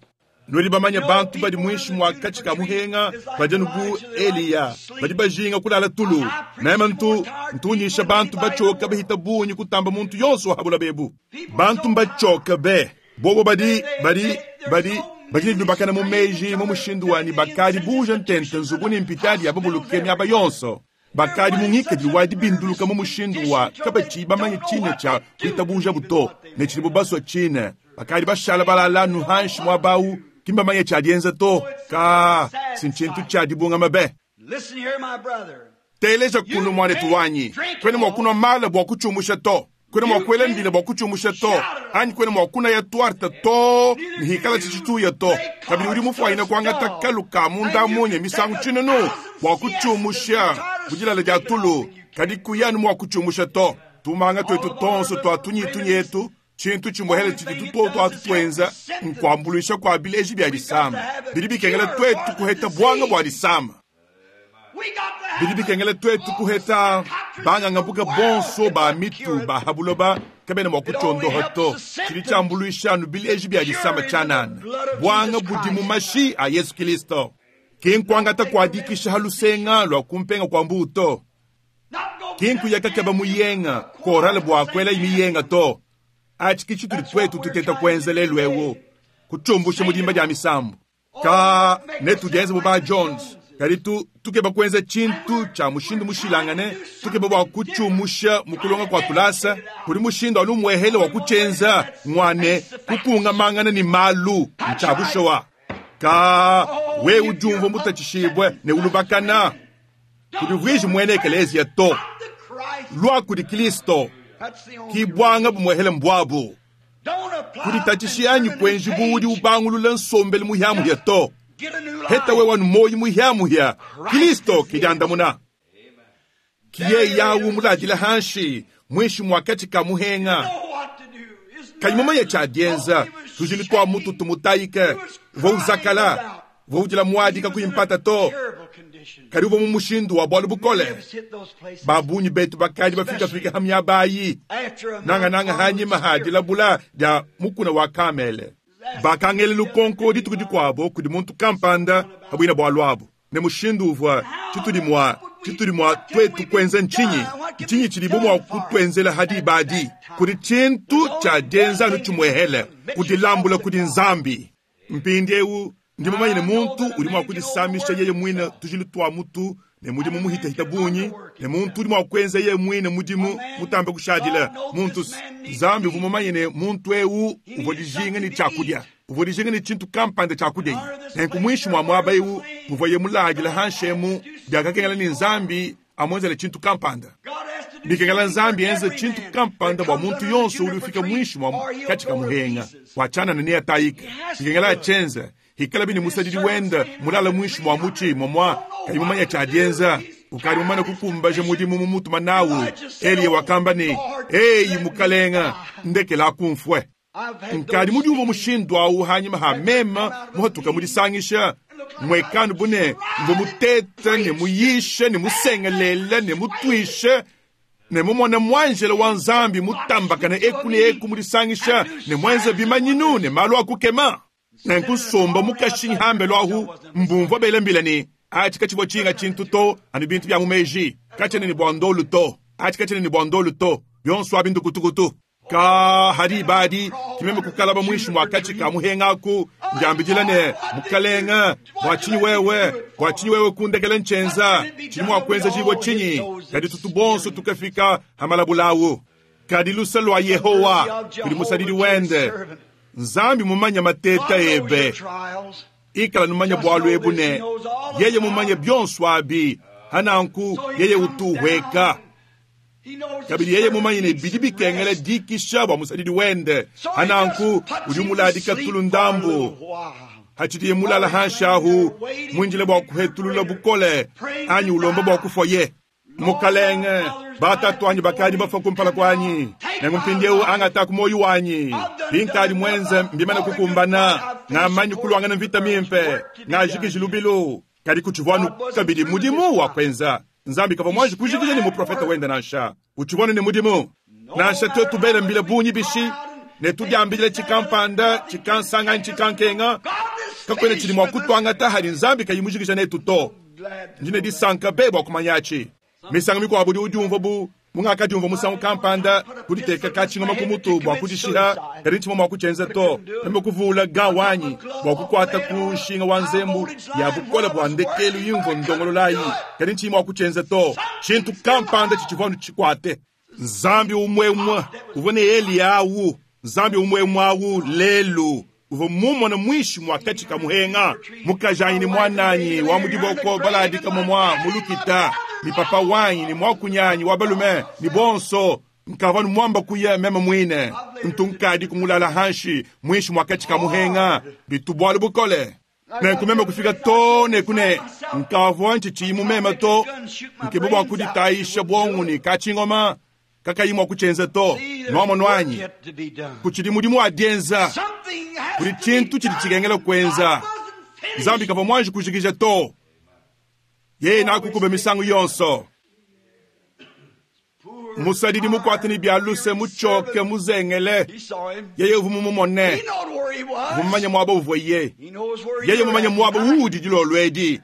Nudi bamanye bantu badi mwishi mwa kachi kamuhenga badi nubu Eliya badi bajinga kulala tulu. Meme ntu ntunyisha bantu bachoka bahita bunyi kutamba muntu yonso habula bebu. Bantu mbachoka be bobo badi badi badi badi lubakana mu meji mu mushindu wani bakadi buja ntente nzubu ni mpitadi ya babuluke miaba yonso. Bakadi mungikadilu wa dibinduluka mu mushindu wa kabachi bamanye chine cha kuitabuja buto ne tshilibo baswa chine. Bakadi bashala balala nuhanshi mwabau kimbamanye tshiadienza to ka sinchintu tshiadibunga mabe. Teleja kunu mwanetu wanyi kwene mwakunwa mala bwa kuchumusha to kwene mwakwela mbila bwa kuchumusha to anyi kwene mwakuna ya twarta to nihikala chichituya to kabili uri mufwaina kwangata kaluka munda munye misangu chinunu bwa kuchumusha bujilala dia tulu kadi kuyanu mwa kuchumusha to tumanga twetu tonso twa tunyitunyetu chintu chimwehele chidi tutoto atutwenza nkwambulisha kwa bileji bya disama. Bidi bikengela twetu kuheta bwanga bwa disama. Bidi bikengela twetu kuheta banganga buka bonso ba mitu ba habuloba kabena mwa kuchondoha to. Chidi chambulisha nu bileji bya disama chanana bwanga budi mu mashi a Yesu Kristo. Kinkwangata kuadikisha halusenga lwa kumpenga kwa mbuto. Kinkuyakakeba muyenga korale bwa kwela imiyenga to. Achi kichitu twetu tuteta kwenzelelwewo kuchumbusha mudimba dia misambu ka netu dienze buba Jones kadi tu tukeba kwenza chintu cha mushindu mushilangane tukeba bwa kuchumusha mukulonga kwa tulasa kuli mushindu anu mwehele wa kuchenza ngwane kukunga mangana ni malu nchabushowa ka we ujumvo mutachishibwe ne ulubakana kuli mwene ekelezia to lwa kuli Kristo kibwanga bumwehele mbwabu kulitachishi anyi kwenji buudi ubangulula nsombele muhyamuhya to heta we wanu moyi muhyamuhya Kristo kijandamuna kiye yawu mulajila hanshi mwishi mwakachi kamuhenga kanyumama ya chadienza tujili kwa mutu tumutayike vouzakala voujila mwadika kuimpata to Kadi uvua mu mushindu wa bwalu bukole. Ba bungi betu bakadi bafikafika ha miaba ayi, nangananga hanyima ha dilabula dia mukuna wa Kamele. Bakangela lukonko dituku dikuabo kudi muntu kampanda pa buina bwalu abu, ne mushindu uvua tshitudi mua, tshitudi mua twetu kuenza ntshinyi, ntshinyi tshidibo mua kutuenzela ha diba adi. Kudi tshintu tshia dienza anu tshimuehele, kudilambula kudi Nzambi. Mpindieu ndi mumanye ne muntu udi mua kudisamisha yeye muine tujilu tua mutu ne mudimu muhitahita bungi, ne muntu udi mua kuenza yeye muine mudimu mutambe kushadila. Muntu Nzambi uvua mumanye ne muntu eu uvua dijinga ne tshiakudia, uvua dijinga ne tshintu kampanda tshiakudia. Nenku muinshi mua muaba eu muvuaye muladila hanshemu, biakakengela ne Nzambi amuenzele tshintu kampanda. Bikengela Nzambi enze tshintu kampanda bua muntu yonso udi ufika muinshi mua katshi ka muhenga bua tshianana neatayike. Bikengela atshienze hikala bini musadidi wenda mulala muinshi mua mutshi momua kayi mumanya tshiadienza, ukadi mumane kukumbaja mudimu mu mutuma nawu. Eliya wakamba ne, eyi mukalenga, ndekela akumfue. Nkadi mudiumvua mushindu awu hanyima ha mema muhatuka mudisangisha mwekanu bune mvua mutete ne muyishe ne musengelele ne mutuishe ne mumone mwanjela wa Nzambi mutambakane eku ne eku mudisangisha ne mwenze bimanyinu ne malu akukema. Nenku nsomba mukashinyi hambelu ahu mbumvua bela mbila ne atshi katshivua tshinga tshintu to anu bintu bia mu meji katshiena ne bua ndolu to atshi katshiena ne bua ndolu to bionso abi ndukutukutu. Ka hadi badi kimeme kukalaba muinshi mua katshi ka muhengaku ndiambidila ne mukalenga bua tshinyi wewe bua tshinyi wewe kundekela nchenza tshidi mua kuenza jibua tshinyi. Kadi tutu bonso tukafika hamalabulawu. Kadi lusa lua Yehowa kudi musadidi wende. Nzambi mumanya mateta ebe, ikala numanya bwalu ebu ne yeye mumanya bionso abi hananku yeye utuhweka. Kabidi yeye mumanye ne bidi bikengela dikisha bua musadidi wende hananku udi muladika tulu ndambu hatshidiye mulala hanshahu mwinjile bua kuhetulula bukole anyi ulomba bua kufoye. Mukalenge batatu anyi bakadi bafa kumpala kwanyi nenku mpindieu angata ku moyo wanyi binkadi mwenze mbimane kukumbana ngamanyi kulwangana mvita mimpe ngajikiji lubilu. Kadi kutshivua kabidi mudimu wa kuenza. Nzambi kavua mwanji kujikija ni muprofeta wende nansha utshivua ne mudimu nansha twetu bela mbila bungi bishi ne tudiambile tshikampanda tshikansanga tshikankenga kakwena tshidi mua kutwangata hadi Nzambi kayimujikija netu to. Ndine disanka be bua kumanyachi misango mikuabo udi udiumvua bu mungakadiumvua musangu kampanda kuditeka katshingoma ku mutu bua kudishiha kadi ntshimue mua kutshienza to. Meme kuvula gan wanyi bua kukuata ku nshinga wa nzembu ya bukole bua ndekelu yimvua ndongololayi kadi ntshimue mua kutshienza to. Tshintu kampanda tshitshivua tshikwate. Nzambi umwe umwe uvua ne Eliya awu, Nzambi umwe umwe awu lelu uvua mumona mwishi mwa katshi ka muhenga mukajanyi ni mwananyi wa mudiboko baladika momwa mulukita ni papa wanyi ni mwakunyanyi wa balume ni bonso nkava numwamba kuya meme mwine ntunkadi kumulala hanshi mwishi mwa katshi ka muhenga bitubwalu bukole. Nenku meme kufika to ne kune nkavua ntshitshiyi mumeme to nkebe bua kuditayisha bwongo ni katshingoma kakayi mua kutshienza to nwamo nwanyi kutshidi mudimu wa dienza kudi tshintu tshidi tshikengela kuenza. Nzambi kavua mwanji kujikija to yeye nakukube misangu yonso. Musadidi mukwate ni bya luse muchoke muzengele yeye uvua mumumone mumanya mwaba uvua ye yeye mumanya mwaba udi dilolwedi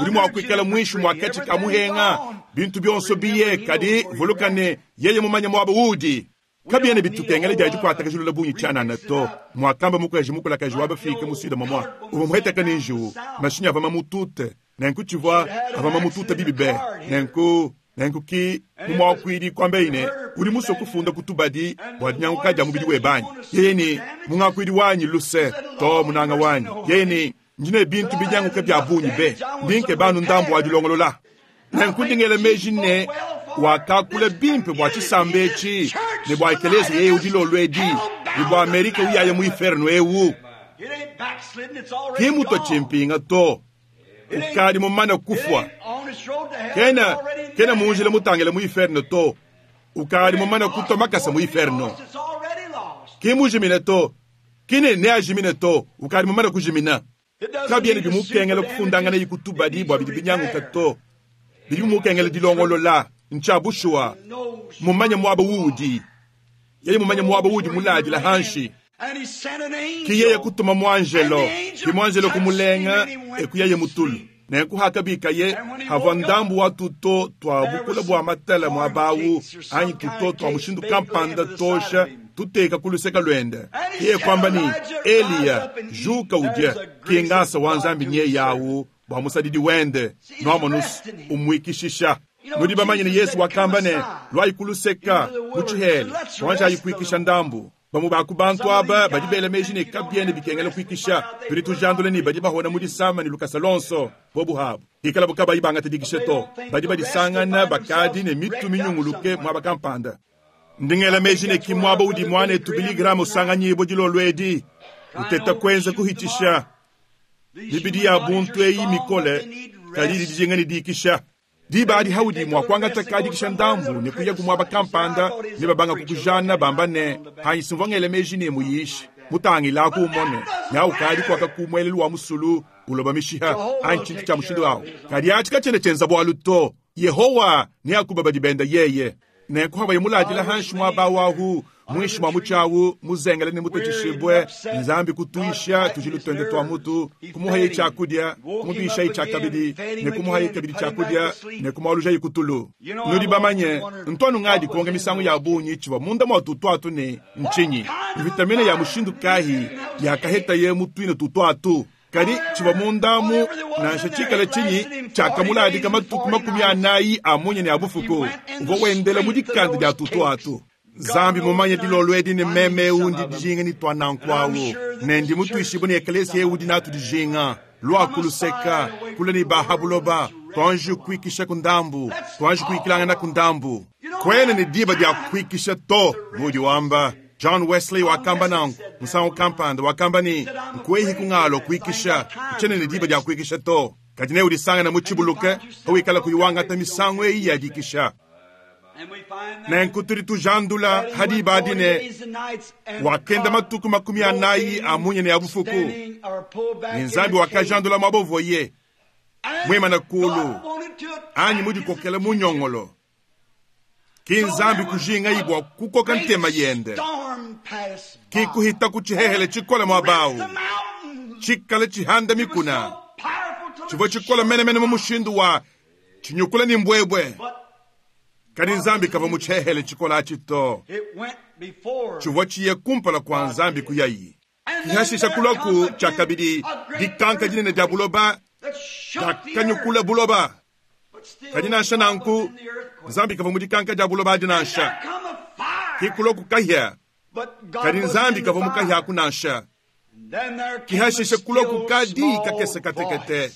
udi mua kuikala mwishi mwa katshi ka muhenga bintu byonso biye kadi vulukane yeye mumanya mwaba udi. Kabiene bitukengele dia dikwata kajulula bungi tshianana to mwakamba mukaji mukulakaji wa bafika musida momwa uvua muheteka ni njiwu mashinyi ava mamutute nenku tshivua ava mamutute bibi be nenku nenku ki mumwakwidi kwambeine udi musue kufunda kutubadi bua dinyanguka dia mubidi webanyi yeye ni mungakwidi wanyi luse to munanga wanyi yeye ni ndine bintu binyanguka bya bungi be ndinke banu ndambu wa dilongolola. Nenku ndingele meji ne wakakula bimpe bua tshisambe etshi ne bua ekelezia yeye udilolwedi ne bua Amerika uyaye mu inferno ewu ki mutwa tshimpinga to ukadi mumane kufwa kena kena munjila mutangele mu inferno to ukadi mumane kutwa makasa mu inferno ki mujimine to kine ne ajimine to ukadi mumane kujimina. Kabyena bimukengela kufundangana ikutubadi bua bidi binyanguka to. Bidi bimukengela dilongolola ncha bushuwa. Mumanye mwaba wuudi. Yeye mumanye mwaba wuudi muladila hanshi. Ki yeye kutuma mwanjelo, ki mwanjelo kumulenga ekuyeye mutulu. Nenku hakabikaye havua ndambu wa tuto twa bukula bua matala mwabawu anyi tuto twa mushindu kampanda tosha tuteka kuluseka lwende. Yeye kwamba ni Eliya juka udye kingasa wa nzambi nye yawu bua musadidi wende nwamonusu umwikishisha. Nudi bamanye ne Yesu wakamba ne lwayi kuluseka muchihele twanja ayikwikisha ndambu. Bamu baku bantu aba badi bela meji ne kabyene bikengela kwikisha. Tudi tujandule ni badi bahona mu disama ni lukasa lonso bobu habu. Ikala bukabayi bangata dikisha to. Badi badisangana bakadi ne mitu minyunguluke mwaba kampanda. Ndingela meji ne kimwaba udi mwane tubili gramu usanganyibo dilolwedi. Uteta kwenza kuhitisha. Mibidi ya buntu eyi mikole kadi dijinga ni dikisha. Diba adi haudi mwa kuangata kadikisha ndambu ne kuya kumwaba kampanda ne babanga kukujana bamba ne hanyi meji ne muyishi mutangila ku umone na ukadi kwaka kumwelelu wa musulu uloba mishiha anyi chintu cha mushindu awo kadi achi kachene chenza bwalu to Yehowa ne akuba badibenda yeye ne kuhaba yemuladila hanshi mwaba wahu mwishi mwa muchawu muzengele ne mutechishibwe nzambi kutuisha tujilu twende twa mutu kumuha chakudya kumubisha ichakabidi ne kumuha ikabidi chakudya ne kumaluja ikutulu nudi bamanye ntwanu ngadi kuonga misangu ya bunyi chiwa munda mwa tutwatu ne nchinyi vitamine ya mushindu kahi ya kaheta ye mutwine tutwatu kadi chiwa mundamu nansha chikala chinyi chakamuladi kama tuku makumi anayi amunye ne abufuku uvo wendela mudikanda dia tutwatu. Zambi mumanye dilolwedi ne meme undi dijinga ni twananku nendi mutuishibu ni eklesia udi natu dijinga lwa kuluseka kule ni bahabuloba twanji kuikisha kundambu twanji kuikilanga kundambu kwene ni diba dia kuikisha to mudi wamba John Wesley wakamba nangu musango kampanda wakamba ni nkwehi kungalo kuikisha chene ni diba dia kuikisha to kadine udisanga na muchibuluke hawikala kuiwanga misango eyi ya dikisha. Nenku tudi tujandula hadi badine wakenda matuku makumi anayi amunye ne abufuku ni nzambi wakajandula mabovoye mwema na kulu anyi mudikokela munyongolo ki nzambi kujinga ibwa kukoka ntema yende ki kuhita kuchihehele chikola mwabawu chikale chihanda mikuna chivo chikola menemene mu mushindu wa chinyukula ni mbwebwe. Kadi nzambi kava muchehele chikola achito chivwa chiye kumpala kwa nzambi kuyayi kihashisha kulaku chakabidi dikanka dinene dia buloba dakanyukula buloba kadi nansha nanku nzambi kava mudikanka dia buloba adi nansha kikuloku kahya kadi nzambi kava mukahya kunansha kihashisha kulaku kadi kakese katekete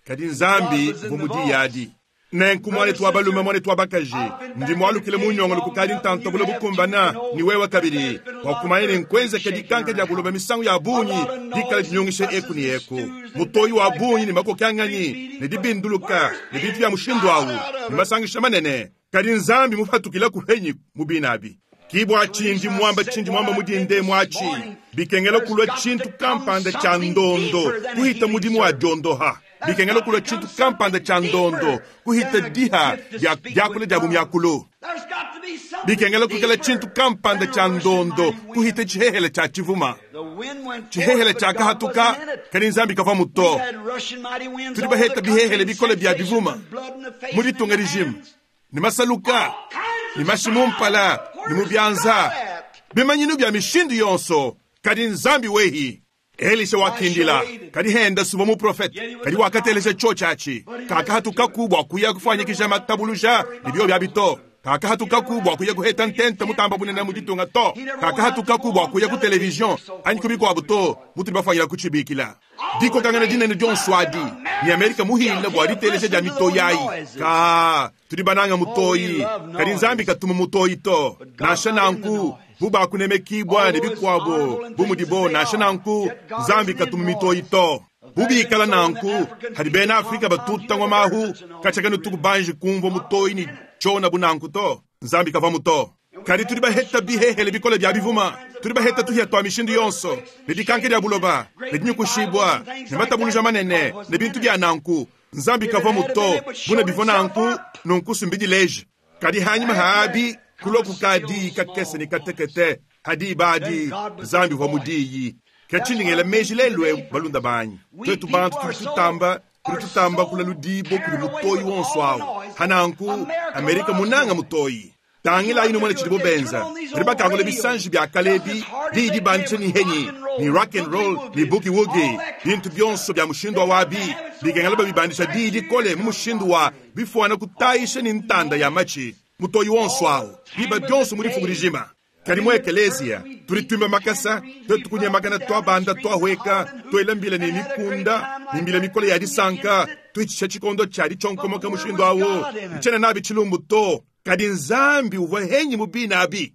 kadi nzambi vumudiyadi. Nenku mwane twa balume mwane twa bakaji ndi mwalukile munyongolo kukali ntanto bule bukumbana ni wewe kabili wakumanye ne nkwenze kedikanka dia buloba misangu ya bunyi dikala dinyongishe eku ni eku mutoyi wa bunyi ni makokanganyi ne dibinduluka ne bintu bya mushindu awu ni masangisha manene kadi nzambi mufatukila kuhenyi mubinabi kibwa chindi mwamba chindi mwamba mudinde mwachi bikengela kulwa chintu kampanda cha ndondo kuhita mudimu wa jondoha bikengela kulwa chintu kampanda cha ndondo kuhita diha ya yakule dia bumyakulo bikengela kukela chintu kampanda cha ndondo kuhita chihehele cha chivuma chihehele cha kahatuka kadi nzambi kava muto tudi baheta bihehele bikole bya bivuma muditunga regime ni masaluka ni mashimumpala ni mubyanza bimanyinu bya mishindu yonso kadi nzambi wehi Elisha wakindila kadi henda suba mu profeta kadi wakatelesha cho chachi kakahatuka kubwa kuya kufanyikisha matabuluja nibyo bya bito kakahatuka kubwa kuya kuheta ntente mutamba bunene muditunga to kakahatuka kubwa kuya ku television anyi kubikwa buto mutu bafanyira kuchibikila diko kangana dinene dyonswadi ni Amerika muhila bwa ditelesha dia mitoyi ka tudi bananga mutoyi kadi nzambi katuma mutoyi to nasha nanku buba kunemekibwa ne bikwabo bumudibo nasha nanku nzambi katuma mitoyi to bubikala nanku hadi bena Afrika batutangwa mahu kachakanu tukubanje kumva mutoyi ni chona bunanku to nzambi kava muto. Kadi tudi baheta bihehele bikole bya bivuma, tudi baheta tuhia twa mishindu yonso, ne dikanka dia buloba, ne dinyukushibua, ne matabuluja manene, ne bintu bya nanku. Nzambi kavua muto, buna bivua nanku, nunku sumbidileje. Kadi hanyuma haabi, kulua kukadi kakese ne katekete, hadi badi, Nzambi uvua mudiyi. Kachindingela meji lelwe balunda banyi. Twetu bantu tudi tutamba, tudi tutamba kula ludibo kuli mutoyi wonso awu. Hananku, Amerika munanga mutoyi. Tangila inu mwana chidibo benza. Bali bakangula bisanji bya kalebi, didi bandisha ni henyi, ni rock and roll, ni boogie woogie. Bintu byonso bya mushindu wa wabi, bikengela babibandisha didi kole mu mushindu wa bifuana kutayisha ni ntanda ya machi. Mutoyi wonso awu. Biba byonso muri fugurijima. Kadi mu ekeleziya, tuli twimba makasa, twetu kunyamakana twabanda twahweka, twelambila ni mikunda, ni mbila mikole ya disanka, twichisha chikondo cha dichonkomoka mushindu awo. Nchena nabi chilumbu to. Kadi Nzambi uvua henyi mubina abi.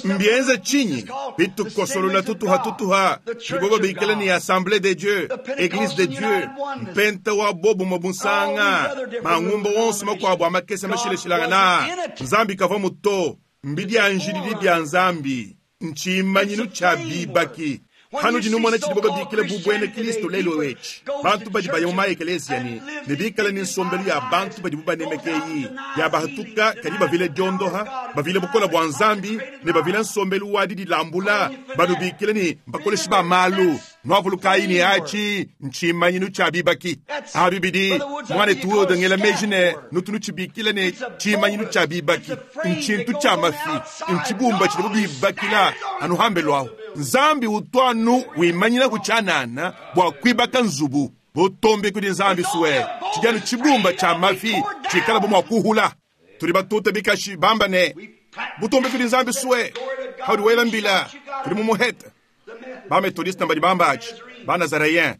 Mbienze chinyi, bitukosolola tutuha tutuha, bibobo bikele ni Assemblée de Dieu, Église de Dieu, mpenta wa bobu mabunsanga, mangumbo wonso makwabo amakese mashileshilangana. Nzambi kavua muto, mbidi anjilili bya Nzambi, nchimanyinu cha bibaki. Hanu jinu mwana chidibo bikile bubwene Kristo lelo wechi. Bantu badi baya mu maekelesia ni, ne bikala ni nsombelu ya bantu badi bubanemekeyi. Ya bahatuka kadi bavile diondoha, bavile bukola bwa Nzambi, ne bavile nsombelu wa didi lambula, banu bikile ni mbakoleshi ba malu. Nwavulukayi ni achi, nchimanyinu cha bibaki. Abi bidi, mwane tuwo dengela meji ne, nutunu chibikile ne chimanyinu cha bibaki. Nchintu cha mafi, nchibumba chidibo bibakila, anuhambe lwaho. Nzambi utwanu wimanyina kuchanana bwa kwibaka nzubu. Butombe kudi Nzambi suwe. Chijanu chibumba cha mafi chikala bwa kuhula. Tuli batuta bikashi bamba ne. Butombe kudi Nzambi suwe. Haudi wela mbila. Tuli mumuheta. Ba metodista mbali bamba achi. Ba Nazareyen.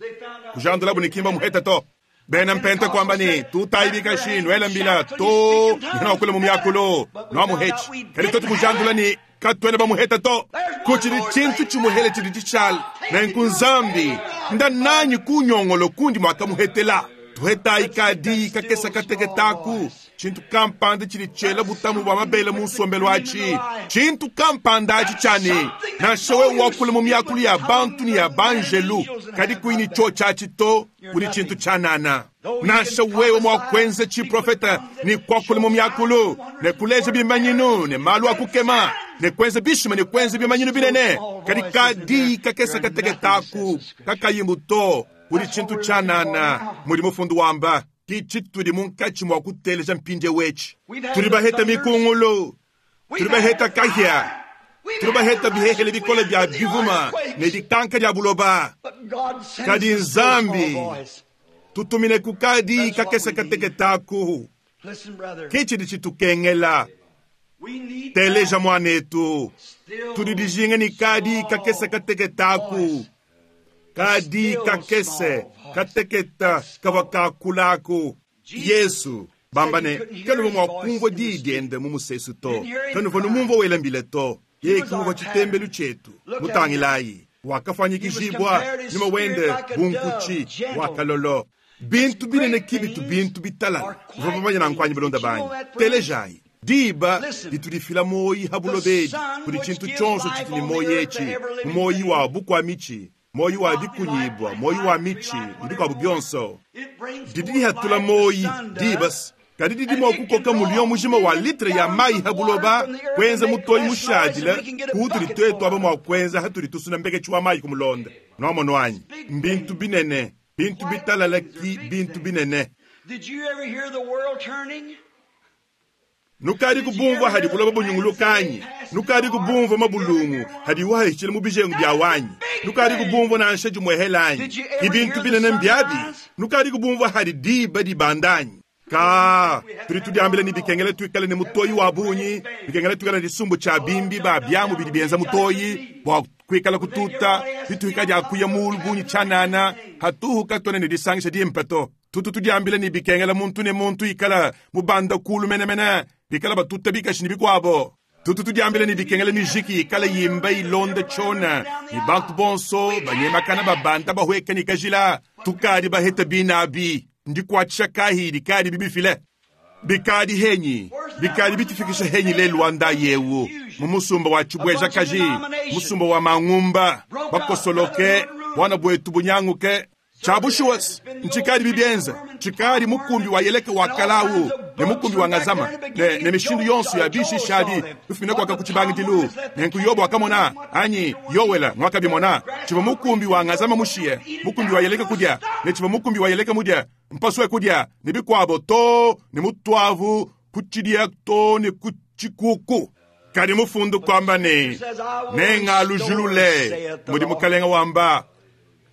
Kujandula bunikimba muheta to. Bena mpente kwamba ni tutai bikashi nwela mbila to. Nina wakule mumyakulo. Nwa muhechi. Kali totu kujandula ni katwene ba muheta to. Kuchiri chintu chimuhele chiri chichala. Nenku Nzambi. Nda nanyi kunyongolo kundi mwaka muhetela. Tuheta ikadi kakesa kateketaku. Chintu kampanda chiri chela butamu bwa mabele mu nsombelo achi. Chintu kampanda achi chane. Nashewe wakule mu myakulu ya bantu ni ya banjelu. Kadi kuini cho chachi to kuli chintu chanana. Nasha wewe mwakwenze chi profeta ni kwakule mu myakulu. Ne kuleja bimanyinu ne malu akukema. Ne kwenze bishima ne kwenze bimanyinu binene. Kadi kadi kakesa kateketaku. Kakayimbu to kuli chintu chanana. Muri mufundu wamba. Kichituli munkachi mwa kuteleja mpinde wechi. Tuli baheta mikungulu. Tuli baheta kahia. Tuli baheta bihehele bikole bya bivuma. Ne dikanka dia buloba. Kadi Nzambi. Tutumine kukadi kakesa kateketaku. Kichidi chitukengela. Teleja mwanetu. Tudidijinga ni kadi kakesa kateketaku. Kadi kakese kateketa kavakakulaku. Yesu bambane kanuva mwakumva didiende mu musesu to. Kanuva numumva welambile to. Ye kumva chitembelu chetu. Mutangilayi. Wakafanyikishibwa nyuma wende bunkuchi wakalolo. Bintu binene kibitu bintu bitalala. Vavamanya na nkwanyi balonda banyi. Telejayi. Diba litulifila moyi habulobedi. Kuli chintu chonso chitini moyi echi. Moyi wa bukwa michi. Moyi wa dikunyibwa, moyi wa michi, ndiko abu byonso. Didi hatula moyi, dibas. Kadi didi mwa kukoka mulio mujima wa litre ya mai habuloba, kwenza mutoyi mushadila, kutuli twetu aba mwa kwenza hatuli tusuna mbeke chwa mai kumulonda. Nomo nwanyi, mbintu binene, bintu bitalala ki bintu binene. Did you ever hear the world turning? Nukari kubumva hadi buloba bunyungulukanyi. Nukari kubumva mabulungu hadi wahichile mu bijengu bya wanyi. Nukari kubumva na nshe jumwehelanyi. Ibintu binene mbyabi. Nukari kubumva hadi diba dibandanyi. Ka tuli tudiambile ni bikengele tuikale ni mutoyi wa bunyi, bikengele tuikale ni sumbu cha bimbi ba byamu bidi bienza mutoyi bwa kuikala kututa bituika dia kuya mu bunyi chanana hatuhuka tone ni disangisha dimpeto. Tutu tudiambile ni bikengele muntu ne muntu ikala mubanda kulu menemene bikala batuta bikashi ni bikwabo. Tutu tudiambile ni bikengele mijiki ikala yimba ilonde chona ni bantu bonso banyemakana babanda bahweka ni kajila tukadi baheta binabi ndikwatshakahi dikadi bibifile. Bikadi henyi bikadi bitufikisha henyi lelu wa ndayewu mu musumba wa chibwejakaji, musumba wa mangumba bakosoloke bwana bwetu bunyanguke chabushuwas nchikadi bibienza chikadi mukumbi wa yeleke wa kalawu ne mukumbi wa ngazama ne, ne mishindu yonso ya bishishabi bifumina kwaka kuchibangidilu nenku yobo akamona anyi yowela mwakabimona chiva mukumbi wa ngazama mushiye mukumbi wa yeleke kudya ne chiva mukumbi wa yeleke mudya mpaswe kudya ne bikwabo to ne mutwavu kuchidia to ne kuchikuku kadi mufundu kwamba ne nengalujulule mudi mukalenga wamba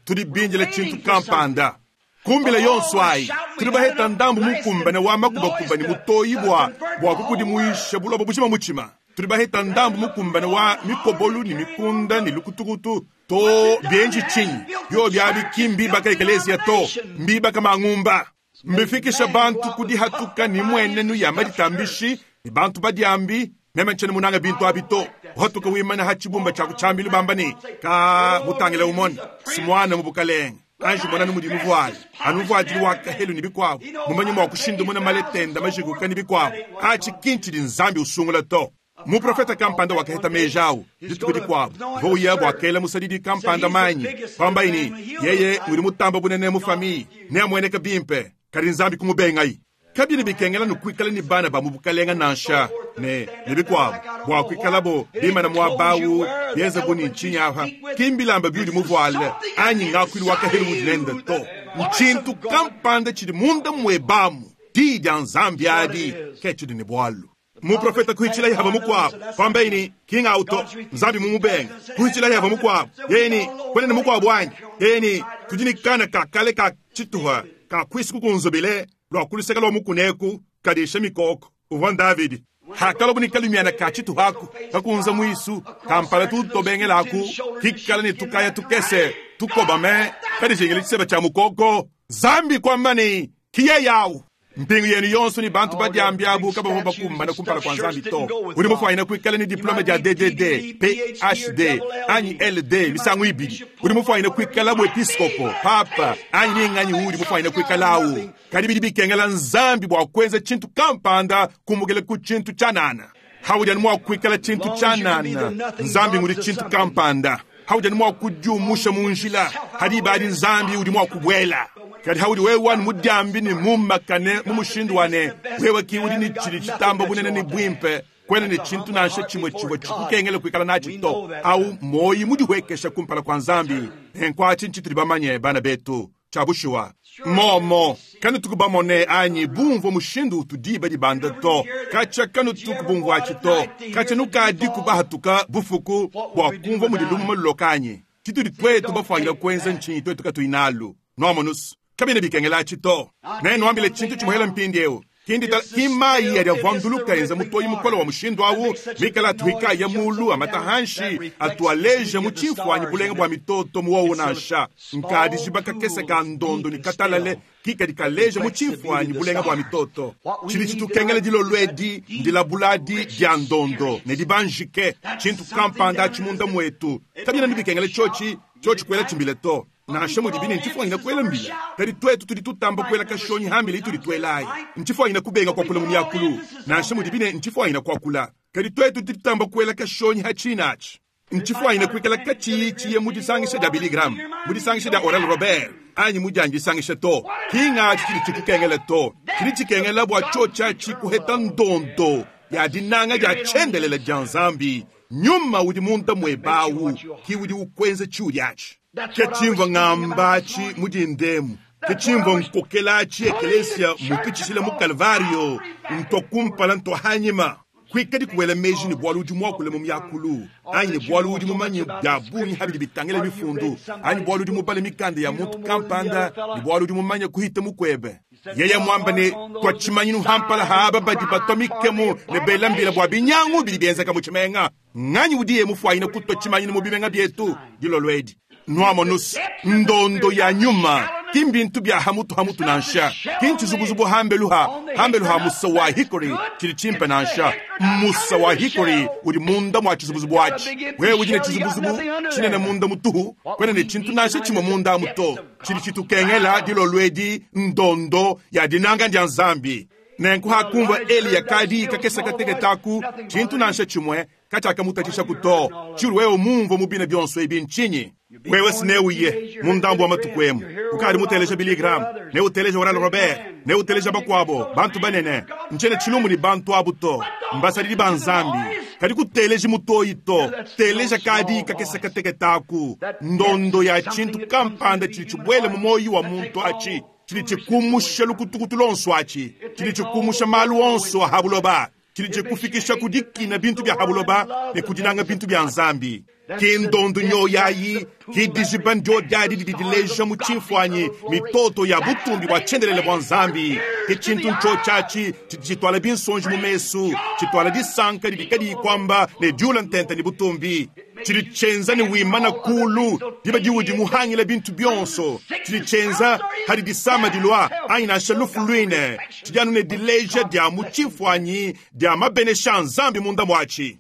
tudi binjila chintu kampanda kumbila yonso ayi tudi baheta ndambu mukumbane wa makubakuba ni mutoyi bwa bwa kukudimuisha buloba bujima muchima tudi baheta ndambu mukumbane wa mikobolu ni mikunda ni lukutukutu to bienji chinyi byo byabi kimbibaka ekeleziya to mbibaka mangumba mbifikisha bantu kudihatuka ni mwenenu ya maditambishi ni bantu badiambi meme nchene munanga bintu abi to uhatuka wimana ha chibumba cha kuchambilu bamba ni ka mutangile umone simwana mu bukalenge anji mona ni mudimu vuali anu vuadili wa kahelu ni bikwabo mumanyi mwa kushinda muna maletenda majikuka ni bikwabo achi kinchi di nzambi usungula to muprofeta kampanda wakaheta mejawu dituku dikwabo vouya bwakela musadidi kampanda manyi kwamba ini yeye uli mutamba bunene mu famille ne amweneka bimpe kadi nzambi kumubengayi kabini bikengela nukwikala ni bana ba mubukalenga nansha ne ne bikwabo bwa kwikalabo bimana mwabawu bienza buni nchinyapa kimbilamba biuli muvuale anyi ngakwili wakahelu mudinende to nchintu kampanda chili munda mwebamu di dia nzambi adi ke chili ni bwalu muprofeta kuhichila yahava mukwabo kwamba ini kinga auto nzambi mumubenga kuhichila yahava mukwabo yeni kwenene mukwabo anyi yeni tudi kana kakale ka chituha ka kwisi kukunzobile lwa kuluseka lwa mukuneku kadisha mikoko uvwa Davidi hakalo bunikalumiana ka chituhaku kakunza mwisu kampala tutobengelaku kikala ni tukaya tukese tukobame kadishingile chiseba cha mukoko zambi kwamba ni kiye yawu mpingu yenu yonso ni bantu badiambiabu kabavua bakumbana kumpala kwa nzambi to uli mufuanyina kuikala ni diplome dia D D D P H D anyi L D misangu ibili uli mufuanyina kuikala buepiskopo papa anyi ninganyi uli mufuanyina kuikalawu kadi bidi bikengela nzambi bua kuenza chintu kampanda kumukela ku chintu chanana haujani mwa kuikala chintu chanana nzambi nguli chintu kampanda haujani mwa kujumusha munjila hadi badi nzambi udi mwa kubwela kadi haudi wewe wanu mudiambi ni mumakane mumushindu wane wewe ki udi ni chili chitamba bunene ni bwimpe kwene ni chintu nansha chimwe chimwe chikukengele kuikala nachi to au moyi mudihwekesha kumpala kwa nzambi nenkwachi nchituli bamanye bana betu chabushuwa momo kanu tukubamone anyi bumvwa mushindu utudiba dibanda to kacha kanu tukubumvwachi to kacha nukadi kubahatuka bufuku bwa kumvwa mudi lumu anyi chituli twetu bafwangila kwenza nchinyi twetu katuinalu nomonusu kabine bikengela to nenu chintu chimuhela mpindi eu kindi ta kimayi yadiavwanduluka enza mutoyi mukolo wa mushindu awu mikala atuhika ya mulu amatahanshi atualeja mu chimfwanyi bulenga bwa mitoto muwowu nansha nkadi jibaka kese ka ndondo ni katalale kikadi kaleja mu chimfwanyi bulenga bwa mitoto chili chitukengela dilolwedi ndilabuladi dia ndondo ne dibanjike chintu kampanda chimunda mwetu kabina nibikengela chochi chochi kwela chimbile to nansha mudi bine nchifwanyina kwela mbila kadi twetu tudi tutamba kwela kashonyi hambila ituli twelayi nchifwanyina kubenga kwakula mu myakulu nansha mudi bine nchifwanyina kwakula kadi twetu tudi tutamba kwela kashonyi hachinachi nchifwanyina kwikala kachiyichiye mudisangisha dia Billy Graham mudisangisha dia Oral Robert anyi mudianjisangisha to kingachi chili chikukengela to chili chikengela bwa chocha chikuheta ndondo ya dinanga dia chendelela dia nzambi nyuma udi munda mwebawu ki udi ukwenza chiulyachi kechimva ng'ambachi mudindemu kechimva nkokelachi ekelesia mupichisile mu Kalvario ntokumpala ntohanyima kwikadi kuwela meji ni bwalu udi mwakule mu myakulu anyi ni bwalu udi mumanye bya bungi habidi bitangela bifundu anyi bwalu udi mubale mikanda ya muntu kampanda ni bwalu udi mumanye kuhita mukwebe yeye mwamba ne twachimanyinu hampala haba badi batwa mikemu ne belambila bwa binyangu bili bienzeka mu chimenga nganyi udiye mufwayina kutwa chimanyinu mu bimenga byetu dilolwedi nwamonusu ndondo ya nyuma kimbintu bya hamutu hamutu nansha kinchizubuzubu hambeluha hambeluha musa wa hikori chili chimpe nansha musa wa hikori uli munda mwa chizubuzubu achi wewe udi ne chizubuzubu chinene munda mutuhu kwene ne chintu nansha chimwe munda muto chili chitukengela dilolwedi ndondo ya dinanga ndya nzambi Nenku hakumvua Eliya kadi kakese kateketa aku tshintu nansha tshimue katshiakamutatshishaku to. Tshiudi wewe mumvue mu bina bionso ebi ntshinyi? Wewe sineuye mu ndambu wa matuku emu ukadi muteleja Billy Graham, neuteleja Oral Robert, neuteleja bakuabo bantu banene. Ntshiena tshilumbu ne bantu abu to, mbasadidi ba Nzambi. Kadi kuteleji mutoyi to, teleja kadi kakese kateketa aku ndondo ya tshintu kampanda tshidi tshibuele mu muoyo wa muntu atshi tshidi tshikumusha lukutukutu lonso atshi tshidi tshikumusha malu onso a ha buloba tshidi tshikufikisha ku dikina bintu bia ha buloba ne ku dinanga bintu bya Nzambi. Ke ndondo nyoyayi, ke dijiba ndio diadi didi dileja mu tshimfuanyi mitoto ya butumbi bua tshiendelele bua Nzambi. Ke tshintu ntshotshatshi tshidi tshituala binsonji mu mesu, tshituala disanka didi kadiyi kuamba ne diula ntenta ne butumbi. Tshidi tshienza ne wimana kulu diba diudi muhangila bintu bionso. Tshidi tshienza hadi disama dilua anyi nansha lufu luine. Tshidi anu ne dileja dia mu tshimfuanyi dia mabenesha a Nzambi munda muatshi.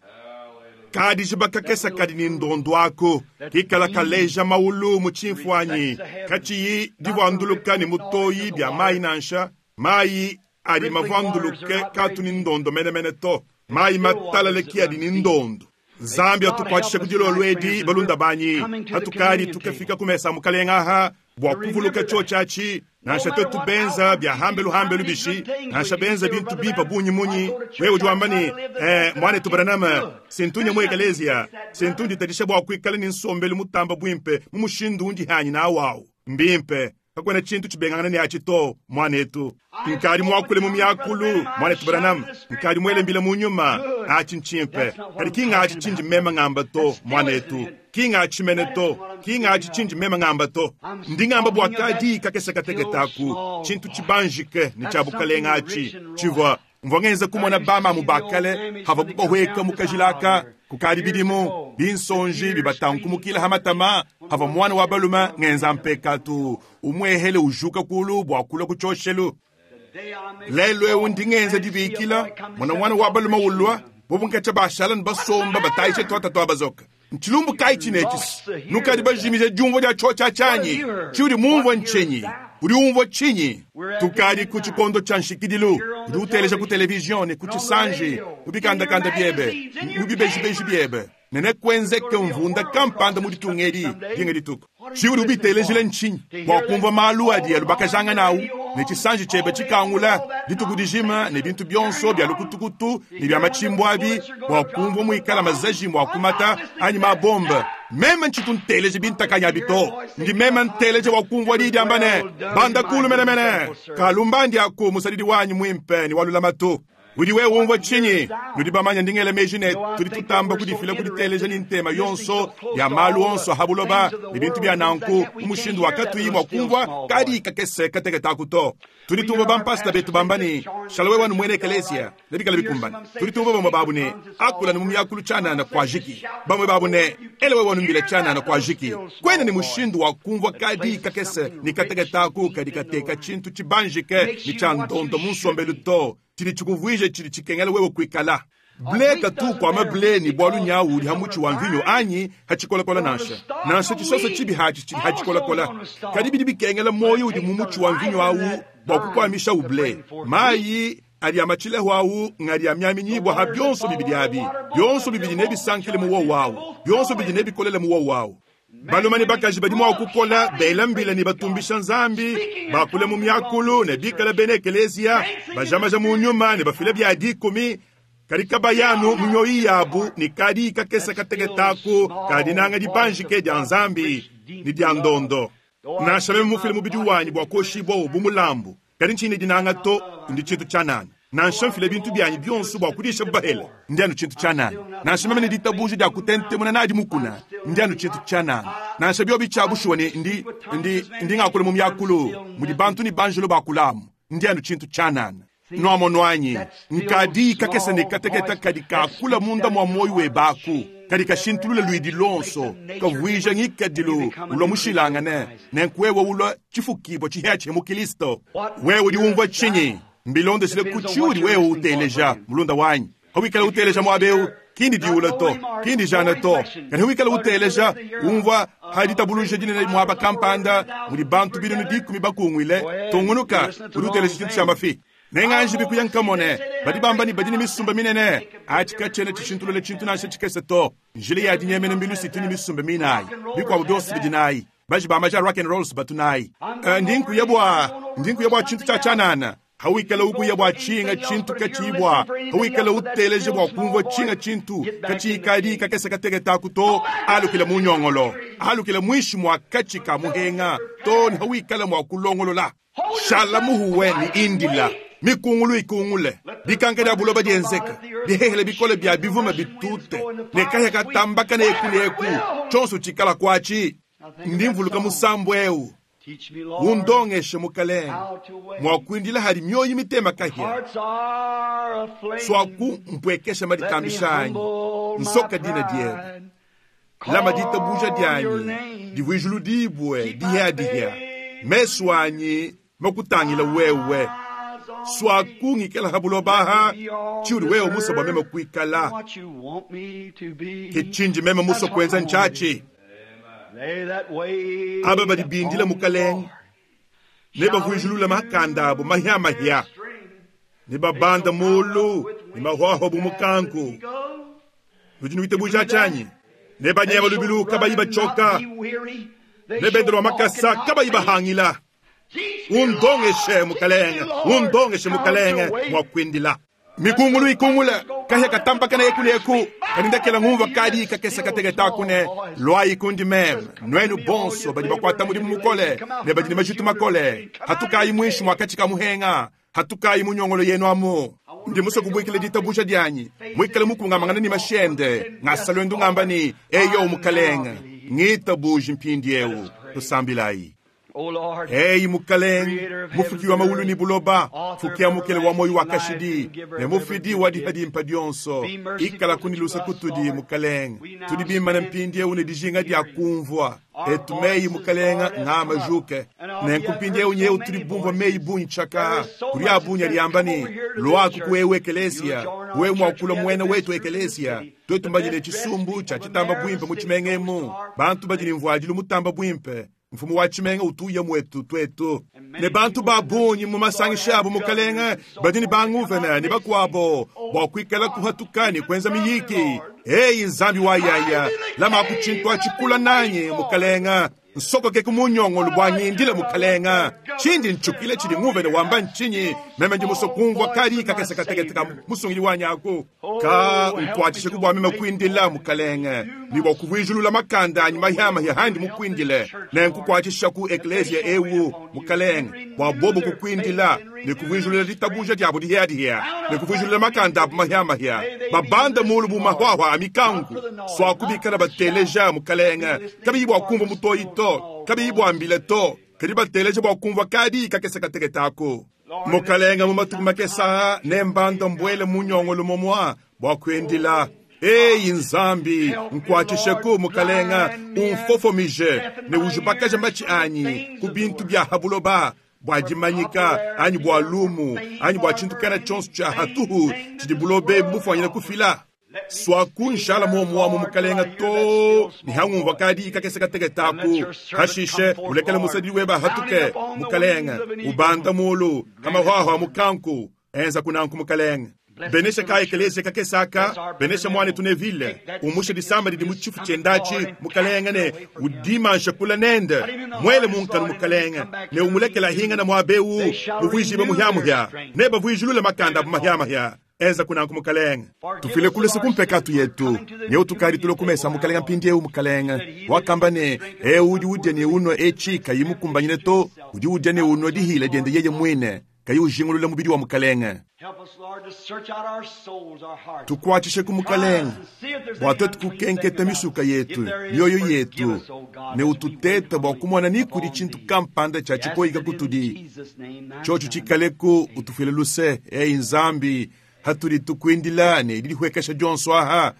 Kadijiba kakese kadi ne ndondo aku kikala kaleja maulu mu tshimfuanyi, katshiyi divuanduluka ne mutoyi bia mayi nansha. Mayi adi mavuanduluke katu ne ndondo menemene to. Mayi matalale ki adi ne ndondo. Nzambi atukuatshishe ku dilolo edi balunda banyi. Hatukadi tukafika ku mesa a mukalenga aha bua kuvuluka tshotshatshi, nansha twetu benza bia hambelu hambelu bishi, nansha benza bintu bimpe bungi munyi. Wewe udi wamba ne, eh, mwanetu Branham, sintunya mu ekelezia, sintu nditadisha bua kuikala ne nsombelu mutamba buimpe mu mushindu undi hanyi nawu. Mbimpe, kakuena tshintu tshibengangana ne atshi to, mwanetu. Nkadi muakule mu miakulu, mwanetu Branham, nkadi muele mbila mu nyuma, atshi ntshimpe. Kadi ki ngatshi tshindi meme ngamba to, mwanetu. Ki ngatshi mene to, ki ngatshi tshindi meme ngamba to. Ndi ngamba bua kadi kakese kateketa aku tshintu tshibanjike ne tshia bukalenga atshi tshivua mvua ngenza kumona bamamu bakale hava kubahweka mu kajilaka kukadi bidimu binsonji bibatankumukila ha matama hava mwana wa balume ngenza mpekatu umwehele ujuka kulu bua kulua ku tshioshelu. Lelo ewu ndi ngenza dibikila mwana mwana wa balume ulua bobu nkatsha bashala ne basomba batayishe twata twa bazoka. Ntshilumbu kayi tshinetshisi nukadi bajimije diumvua dia tshotsha tshanyi tshiudi mumvua ntshinyi udi umvua tshinyi. Tukadi ku tshikondo tshia nshikidilu. Udi uteleja ku televizion ne ku tshisanji mu bikandakanda biebe mu bibejibeji biebe ne nekwenzeke mvunda kampanda mu ditunga edi dinga dituku. Tshiudi ubitelejile ntshinyi bua kumvua malu adi alubakajanga nawu ne tshisanji tshiebe tshikangula dituku dijima ne bintu bionso bia lukutukutu ne bia matshimbu abi bua kumvua muikala mazaji mua kumata anyi mabombe. Meme ntshitu nteleje bintakanya abi to. Ndi meme nteleje wa kumvua di diamba ne banda kulu menemene kalumbandi aku musadidi wanyi muimpe ne walulamatu. Udi wewe umvua tshinyi? Nudi bamanya ndingela meji ne tudi tutamba kudifila kuditeleja ni ntema yonso ya malu onso ha buloba ne bintu bia nanku mu mushindu wa katuyi mua kumvua kadi kakese kateketa aku to. Tudi tumvua bampasta betu bamba ne shala wewe wanu mwene ekelesia ne bikala bikumbana. Tudi tumvua bamwe babu ne akula ne mu miakulu tshianana kwa jiki. Bamwe babu ne ele wewe wanu mbila tshianana kwa jiki. Kwena ne mushindu wa kumvua kadi kakese ne kateketa aku kadi kateka tshintu tshibanjike ne tshia ndondo mu nsombelu to. Tshidi tshikuvuije tshidi tshikengela wewe kuikala. Ble katu kwama ble ni bwalu nyawu udi ha mutshi wa mvinyo anyi ha tshikolakola nansha. Nansha tshisoso tshibi hatshi tshidi ha tshikolakola. Kadi bidi bikengela moyo udi mu mutshi wa mvinyo awu bua kukwamisha uble. Mayi adi amatshileho awu ngadi amyaminyibwa ha bionso bibidi abi. Bionso bibidi nebisankile mu wowu awu. Bionso bibidi nebikolele mu wowu awu. Balume ne bakaji badi mua kukola bela mbila ne batumbisha Nzambi, bakule mu miakulu ne bikala bena ekeleziya, bajamaja mu nyuma ne bafile bia dikumi. Kadi kabayanu mu mioyo yabu ne kadi kakese kateketa aku kadi nanga dibanjike dia Nzambi ne dia ndondo. Nansha meme mufile mubidi wanyi bua koshibua bu mulambu, kadi ntshinyi dinanga to ndi tshintu tshianana. Nansha mfile bintu byanyi bionso bua kudisha bahele, ndi anu tshintu tshianana. Nansha meme ne ditabuja dia kutentemuna nadi mukuna, ndi anu tshintu tshianana. Nansha biobi tshia bushuwa ne ndi, ndi, ndi ngakula mu miakulu mudi bantu ne banjelo bakulamu, ndi anu tshintu tshianana. Nuamono anyi nkadi kakese ne kateketa kadi kakula munda mua moyo webaku kadi kashintulula luidi lonso kavuija ngikadilu ulwa mushilangane nenku wewe ulwa tshifukibwa tshihia mu Kristo. Wewe udi umvua tshinyi? Mbilondeshile ku tshiudi wewe uteleja mulunda wanyi. Hawikala uteleja mwabeu kindi diula to kindi jana to. Kadi hawikala uteleja umvua haditabuluja dinene mwaba kampanda mudi bantu binunu dikumi bakungwile tungunuka udi uteleja tshintu tshia mafi. Nenganji bikuya nkamone badi bamba ne badi ne misumba minene atshi katshiena tshishintulula tshintu nansha tshikese to. Njila ya dinyemena mbilu situ ne misumba minayi bikuabu bionso bidi nayi baji ba maja rock and rolls batu nayi. Ndi nkuya bua ndi nkuya bua tshintu tshia tshianana hawikala ukuya bua tshinga tshintu katshibwa hawikala uteleje bua kumvua tshinga tshintu katshikadi kakese kateketaku to alukile munyongolo alukile mwishi mwa katshi ka muhenga to ne hawikala mwa kulongolola shala muhuwe ni indila mikungulu ikungule dikanka dia buloba dienzeka dihehele bikole bia bivuma bitute ne kahya katambaka ne eku ne eku tshonso tshikala kwatshi ndi mvuluka musambu eu undongeshe mukalenge mwakwindila hali mioyo mitema kahya swaku mpwekesha maditambishanyi nsoka dina diebe lama ditabuja dianyi divuijulu dibwe dihya mesu anyi makutangila wewe swaku ngikela habulobaha chiuli wewe musa bwa meme kuikala ke chinji meme musa kwenza nchachi aba badi bindila mukalenge ne bavuijulula makanda abo mahyamahya ne babanda mulu ne mahwahwa bu mukanku ludi nuitabuja tshanyi ne banyema lubilu kabayi bachoka ne bendelwa makasa kabayi bahangila undongeshe mukalenge undongeshe mukalenge mwakwindila mikungulu ikungula kahya katambakana eku ne eku kanindakela ngumva kadi kakesa kateketa kune lwayi kundi meme nwenu bonso badi bakwata mudimu mukole ne badi ne majitu makole hatukayi mwishi mwakatshi ka muhenga hatukayi munyongolo yenu amu ndi musa kubwikila ditabusha dianyi mwikale mukungamangana ni mashende ngasalwendu ngamba ni eyo mukalenge ngitabuji mpindi eu tusambilayi eyi mukalenge mufuki wa maulu ni buloba fukia mukele wa moyo wa kashidi ne mufidi wa dihadimpa dionso ikala kunilusa kutudi mukalenge tudi bimana mpindi eu ne dijinga dia kumvua etu meyi mukalenga ngama juke nenku mpindi eu nyeu tuli bumvua meyi bunyi tshaka tuli abunya liamba ni lwaku kuwewe ekelesia wewe mwakula mwene wetu ekelesia twetu mbanyile tshisumbu tshia tshitamba bwimpe mu tshimengemu bantu badi ne mvuadilu mutamba bwimpe mfumu wa tshimenga utuya mwetu twetu ne bantu ba bungi mu masangisha abo mukalenge badi ne banguvena ne bakuabo bua kuikala kuhatuka ne kuenza miyiki eyi nzambi wa yaya lama ku tshintu atshikula nanyi mukalenga nsokoke ku munyongolo bua ngindile mukalenga tshindi ntshukile tshidi nguvene wamba ntshinyi meme ndi muso kumvua kadi kakese katekete ka musungili wanyi aku ka nkuatshishe ku bua meme kuindila mukalenge ni bua kuvuijulula makanda anyi mahyamahya handi mukuindile nenkukuatshisha ku eklesia ewu mukalenge bua bobo kukuindila ne kuvuijulula ditabuja diabo dihyadihya ne kuvuijulula makanda abu mahyamahya babanda mulu bu mahwahwa a mikangu swakubikala bateleja mukalenge kabiyi bua kumva mutoyi to kabiyi bua to kadi bateleja bua kumvua kadi kakese kateketako mukalenga mu matuku makesa ne mbanda mbwele munyongolo momwa bua kuendila eyi nzambi nkuatshisheku mukalenga umfofomije ne ujubakaja matshi anyi ku bintu bia habuloba bua dimanyika anyi bua lumu anyi bua tshintu kana tshionso tshia hatuhu tshidi bulobe bufwanyina kufila swakunshala muomuamu mukalenga to ni hangumva kadi kakese kateketaku hashishe ulekele musadidi weba hatuke mukalenga ubanda mulu kamahwahwa mukanku enza kunanku mukalenga benesha ka ekelesia kakesaka benesha mwane tunevile umushe disamba didi mutshifu tshiendatshi mukalenga ne udimansha kula nende mwele munkanu mukalenga ne umulekela hinga na muabewu muvuijibe muhyamuhya ne bavuijilule makanda abu mahyamahya enza kunanku mukalenga tufile kulisa kumpekatu yetu nyeu tukali tulo kumesa mukalenga mpindi eu mukalenga wakamba ne eu udi udya ne unwa etshi kayi mukumbanyine to udi udya ne unwa dihila diende yeye mwine kayi ujingulula mubidi wa mukalenga tukuatshishe ku mukalenga bua twetu kukenketa misuka yetu mioyo yetu ne ututeta bua kumona ni kudi tshintu kampanda tshia tshikoyika kutudi tshotshi tshikaleku utufuile luse eyi nzambi hatuli tukuindila ne didihwekesha dionso aha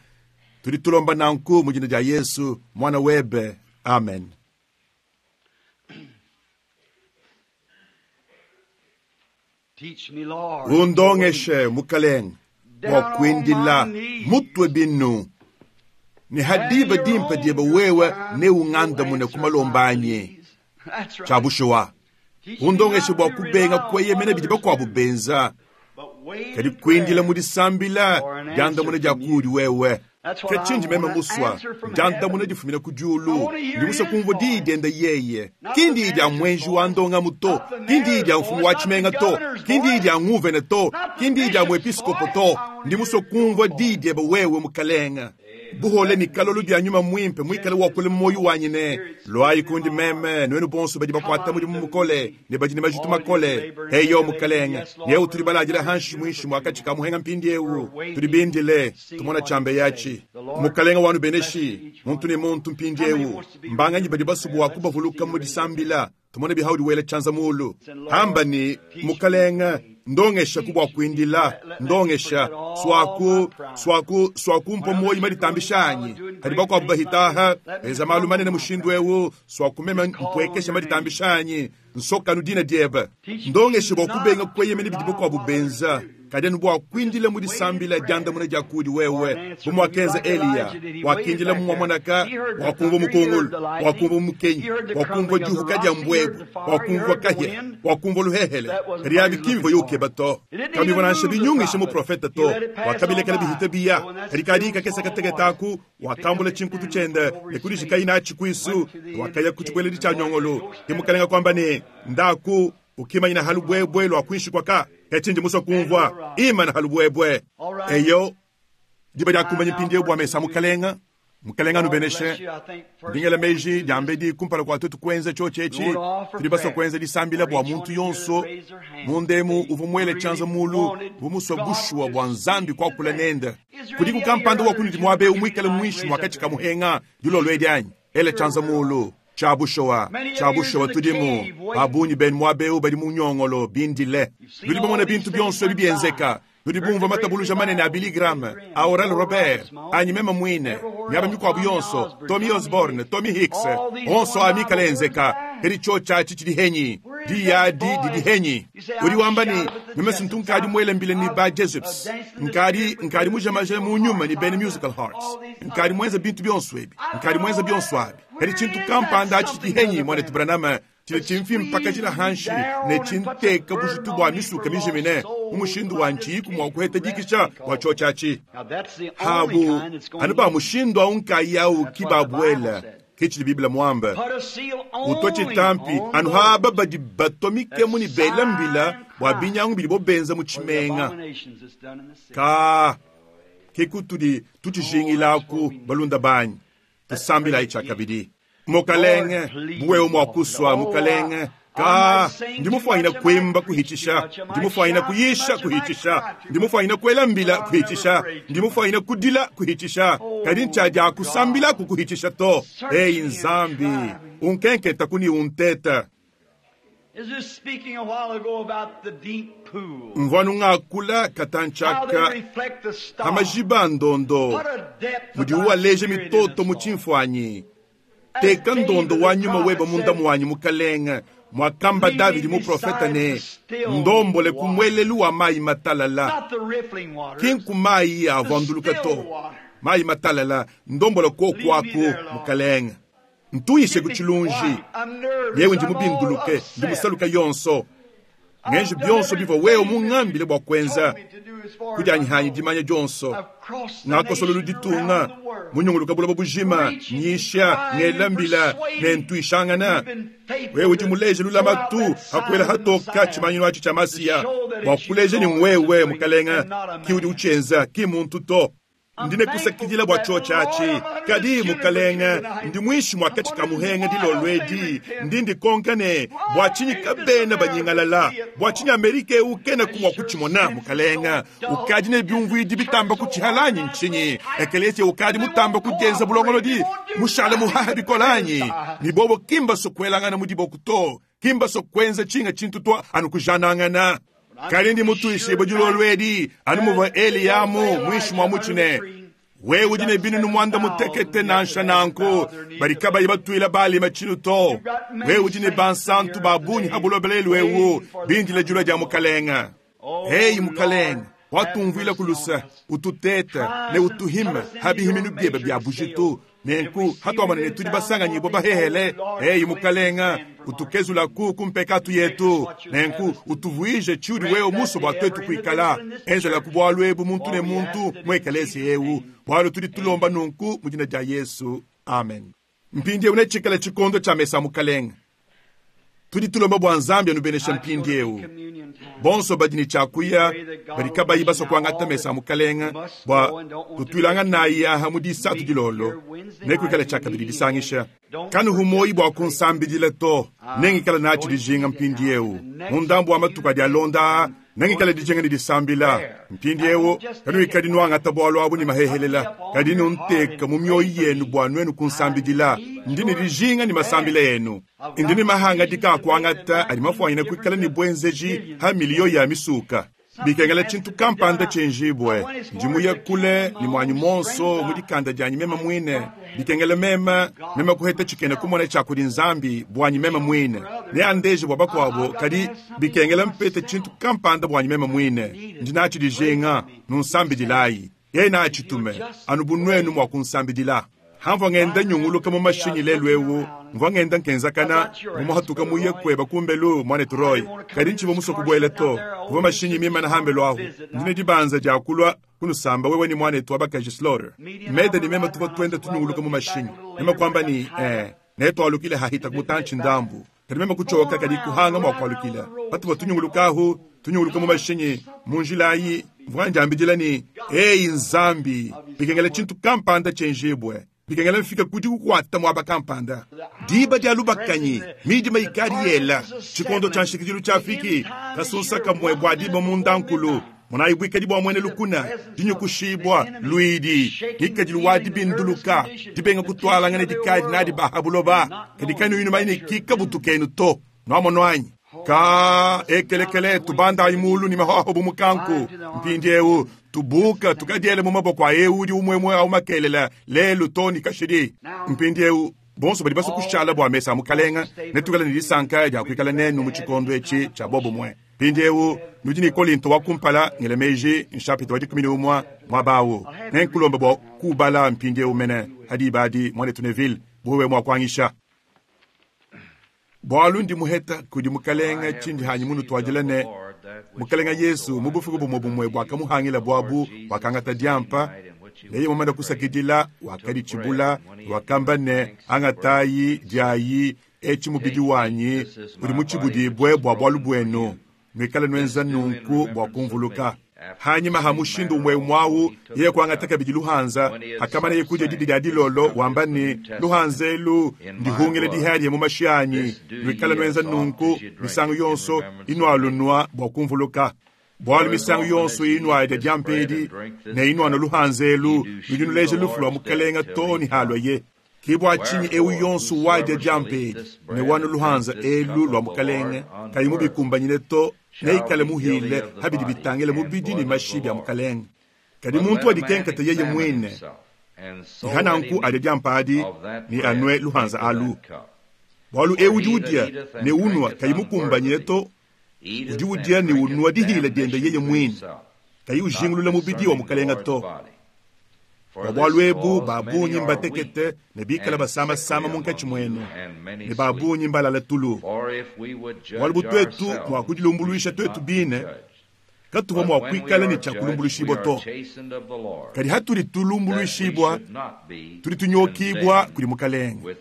tudi tulomba nanku mu dina dia yesu mwana webe amen. Undongeshe mukalenga bua kuindila mutwe binu ne hadiba dimpa dieba wewe ne ungandamune ku malomba anyi tshia bushuwa Undongeshe bua kubenga kueyemena bidi bakuabu benza, kadi kuindila mu disambila diandamuna dia kudi wewe. Ke tshindi meme musua, diandamuna difumina ku diulu. Ndi musue kumvua diyi diende yeye. Ki ndiyi dia mwenji wa ndongamu to, ki ndiyi dia mfumu wa tshimenga to, ki ndiyi dia nguvene to, ki ndiyi dia muepiskopo to. Ndi musue kumvua diyi diebe wewe mukalenga. Buhole ni kalolo bya nyuma mwimpe mwikale wakule moyo wanyi ne lwayi kundi meme nwenu bonso badi bakwata mudimu mukole ne badi ne majitu makole. Eyo mukalenga, yewu tuli baladila hanshi mwinshi mwakati ka muhenga mpindi ewu tuli bindile tumona chambe yachi mukalenga wanu beneshi muntu ne muntu mpindi ewu mbanganyi badi basubu kubavuluka mu disambila tumone bihaudi wele chanza mulu hamba ni mukalenga ndongesha kubwa kuindila ndongesha swaku swaku swaku mpo moyi maditambishanyi kadi bakwabu bahitaha eza malu manene mushindu ewu swaku meme mpwekesha maditambishanyi nsokanu dina diebe ndongesha bwa kubenga kweyemene bidi bakwabu benza kadi anu bwa kuindila mu disambila diandamuna dia kudi wewe bumwakenza Eliya wakindila mumwamonaka wakumva mukungulu wakumva mukenyi wakumva juhuka dia mbwebwe wakumva kahya wakumva luhehele kadi yabi kimvo yukeba to kabivona nansha binyungisha muprofeta to wakabilekela bihita biya kadi kadi kakesa kateketaku wakambula chinkutu chende nekudishikayi nachi kwisu wakaya kuchibweledi cha nyongolo kimukalenga kwamba ne ndaku ukimanyina halubwebwe lwa kwishi kwaka echinji muswa kumvwa imana halubwebwe eyo diba diakumbanya mpindiewu bwa mesa mukalenga mukalenga nubeneshe ndingela meji diambedi kumpala kwa twetu kwenza chochechi tuli baswa kwenza disambila bwa muntu yonso mundemu uvu mwele chanza mulu vumuswa bushuwa bwa nzambi kwakula nenda kudi kukampanda wa kunudi mwabe umwikale mwishi mwakati kamuhenga dilolo edianyi ele chanza mulu chabushowa chabushowa tudimu babunyi benu mwabeu badi munyongolo bindile nudi bamona bintu byonso ebi byenzeka nudi bumva matabuluja manene a Billy Graham a Oral Robert anyi meme mwine miaba mikwabu yonso Tommy Osborne Tommy Hicks onso amikala enzeka kedi cho chachi chidi henyi diyadi didi henyi udi wamba ni meme sintu nkadi mwele mbile ni ba Jesuits nkadi nkadi mujamaje mu nyuma ni bene musical hearts nkadi mwenza bintu byonso ebi nkadi mwenza byonso abi kedi chintu kampanda achi chidi henyi mwana Branham chili chimfi mpaka chila hanshi ne chinteka bushitu bwa misuka mijimine umushindu wa nchiku mwa kuheta dikisha wa chochachi habu anu ba mushindu aunka yau kibabwela kichili biblia mwamba utoche tampi anu haba badi batomike muni bela mbila bwa binyangu bili bobenza mu chimenga ka kekutudi tuchijingilaku balunda banyi tusambila ichakabidi mukalenge buwewe mwakuswa mukalenge ka ndimufwahina kwimba kuhichisha ndimufwahina kuyisha kuhichisha ndimufwahina kwela mbila kuhichisha ndimufwahina kudila kuhichisha kadi nchaja kusambila kukuhichisha to eyi nzambi unkenketa kuni unteta mvwanu ng'akula katanchaka amajiba ndondo mudi uwaleje mitoto mu chimfwanyi teka ndondo wa nyuma weba munda mwanyi mukalenga mwakamba Davidi muprofeta ne ndombole kumwelelu wa mayi matalala kinku mayi avanduluka to mayi matalala ndombola kokwaku mukalenga ntuyishe kuchilunji yewe ndi mubinduluke ndi musaluka yonso ngenji byonso biva wewe mung'ambile bwa kwenza kudyanyihanyi dimanya dyonso ngakosolola ditunga munyunguluka bulaba bujima nyisha ngelambila nentwishangana wewe udi muleje lulamatu hakwela hatoka chimanyino achi cha masiya bwakuleje ni wewe mukalenga ki udi uchenza ki muntu to ndine kusakidila bwa chochachi kadi mukalenga ndi mwishi mwakati ka muhenga dilolwedi ndi ndikonkane bwa chinyi kabena banyingalala bwa chinyi Amerika eu kena kumwa kuchimona mukalenga ukadi ne byumvwidi bitamba kuchihalanyi nchinyi ekelesia ukadi mutamba kujenza bulongolodi mushala muhaha bikolanyi nibobo kimba sokwelangana mudiboku to kimba sokwenza chinga chintu to anu kujanangana kali ndi mutuishe dilolwedi anu muva Eliyamu mwishi mwa muchine wewe udi ne binu mwanda mutekete nansha nanku bali kabayi batwila balima chinu to wewe udi ne bansantu babunyi habulobelelu ewu bindila julwa dia mukalenga heyi mukalenga watumvwila kulusa ututeta ne utuhima habihiminu byeba bya bujitu Nenku hatuamona ne tudi basanganyibwa bahehele, eyi mukalenga utukezulaku ku mpekatu yetu, nenku utuvuije tshiudi wewe muso bua twetu kuikala. Enzelaku bualu ebu muntu ne muntu mu ekeleziya ewu, bualu tudi tulomba nunku mu dina dia Yesu, amen. Mpindiewu netshikale tshikondo tshia mesa mukalenga. Tudi tulomba bua Nzambi anubeneshe mpindiewu. Bonso badi ne tshiakuya badi kabayi basua kuangata mesa mukalenga bua kutuilanga nayi aha mu disatu dilolo nekuikale tshiakabidi disangisha. Kanuhu moyi bua kunsambidila to, nengikala natshi dijinga mpindiewu. Mu ndambu wa matuku adi alonda nengikala dijinga ne disambila. Mpindiewu kanuikadi nuangata bualu abu ne mahehelela, kadi nunteka mu mioyo yenu bua nuenu kunsambidila. Ndi ne dijinga ne masambila enu. Ndi ne mahanga dika akuangata adi mafuanyine kuikala ne bwenzeji ha miliyo ya misuka. Bikengela tshintu kampanda tshenjibwe. Ndi muye kule ne mwanyi monso mu dikanda dianyi meme mwine. Bikengela meme, meme kuheta tshikena kumona tshia kudi Nzambi bwanyi meme mwine. Neandeje bua bakuabo, kadi bikengela mpete tshintu kampanda bwanyi meme mwine. Ndi natshi dijinga, nunsambidilayi. Yeye natshitume, anu bu nuenu mua kunsambidila. Hamvua ngenda nyunguluka mu mashinyi lelu ewu, mvua ngenda nkenzakana, mumuhatuka muye kweba kumbelu mwanetu Roy. Kadi ntshivua musue kubuela to, kuvua mashinyi mimana hambelu ahu. Ndi ne dibanza dia kulua kunusamba wewe ni mwanetu wa bakaji Slaughter. Meda ni meme tuvua tuenda tunyunguluka mu mashinyi. Meme kwamba ni, eh, netwalukile hahita kumutanchi ndambu. Kadi meme kuchoka kadi kuhanga mwa kualukila. Patuvua tunyunguluka ahu, tunyunguluka mu mashinyi, mu njila ayi, mvua ndiambidila ni, eyi Nzambi, bikengela tshintu kampanda tshenjibwe. Bikengela mfika kudi kukwata mwaba kampanda. Diba dia lubakanyi, midima ikadi yela. Tshikondo tshia nshikidilu tshiafiki, kasunsa kamwe bua diba mundankulu. Munayi buikadi bua mwene lukuna, dinyukushibwa, luidi, ngikadilu wa dibinduluka, dibenga kutwalangana dikadi nadi bahabuloba. Kadi kanu inu maine kika butukenu to. Nwamono anyi? Ka ekelekele tubandayi mulu ni mahoho bu mukanku. Mpindiewu tubuka tukadiele mu maboko a ewu udi umwemwe au makelela lelu to ni kashidi. Mpindiewu bonso badi basue kushala bua mesa mukalenga netukale ne disanka dia kuikala nenu mu tshikondo etshi tshia bobumwe. Mpindiewu nudi ne Kolinto wa kumpala ngele meji nshapita wa dikumi ne umwa mwabawu. Nenkulomba bua kubala mpindiewu mene hadi badi mwanetu Neville buwe mwa kuangisha. Bualu ndi muheta kudi mukalenga tshindi hanyi munu tuadila ne mukalenga Yesu mu bufuku bumwe bumwe bwakamuhangila bwabu wakangata diampa neye mumana kusakidila wakaditshibula wakamba ne angatayi diayi etshi mubidi wanyi udi mutshibudibwe bua bualu buenu nuikale nuenza nunku bua kumvuluka. Hanyima ha mushindu umwe mwawu yeye kuangata kabidi luhanza akamana ye kudia didi dia dilolo wamba ne luhanza elu ndihungile dihadi mu mashi anyi nuikale nuenza nunku misangu yonso inualunwa bua kumvuluka. Bualu misangu yonso inuadya diampedi ne inuana luhanza elu nudi nuleja lufu lua mukalenga to ni halwa ye. Kibwa chinyi ewu yonso wadya diampedi ne wana luhanza elu lua mukalenga kayi mubikumbanyine to neikale muhile habidi bitangile mubidi ni mashi bya mukalenga. Kadi muntu adikenkata yeye mwine ihananku adya diampadi ni anwe luhanza alu. Bualu ewu udi ne unwa kayi mukumbanyine to udi udia ni unwa dihile diende yeye mwine kayi ujingulula mubidi wa mukalenga to. Bualu ebu babunyi mbatekete ne bikala basama-sama munkatshi mwenu ne babunyi mbalala tulu. Bualu butwetu mwa kudilumbuluisha twetu bine katuva mwa kuikala ne tshia kulumbuluishibwa to. Kadi hatudi tulumbuluishibwa tudi tunyokibwa kudi mukalenga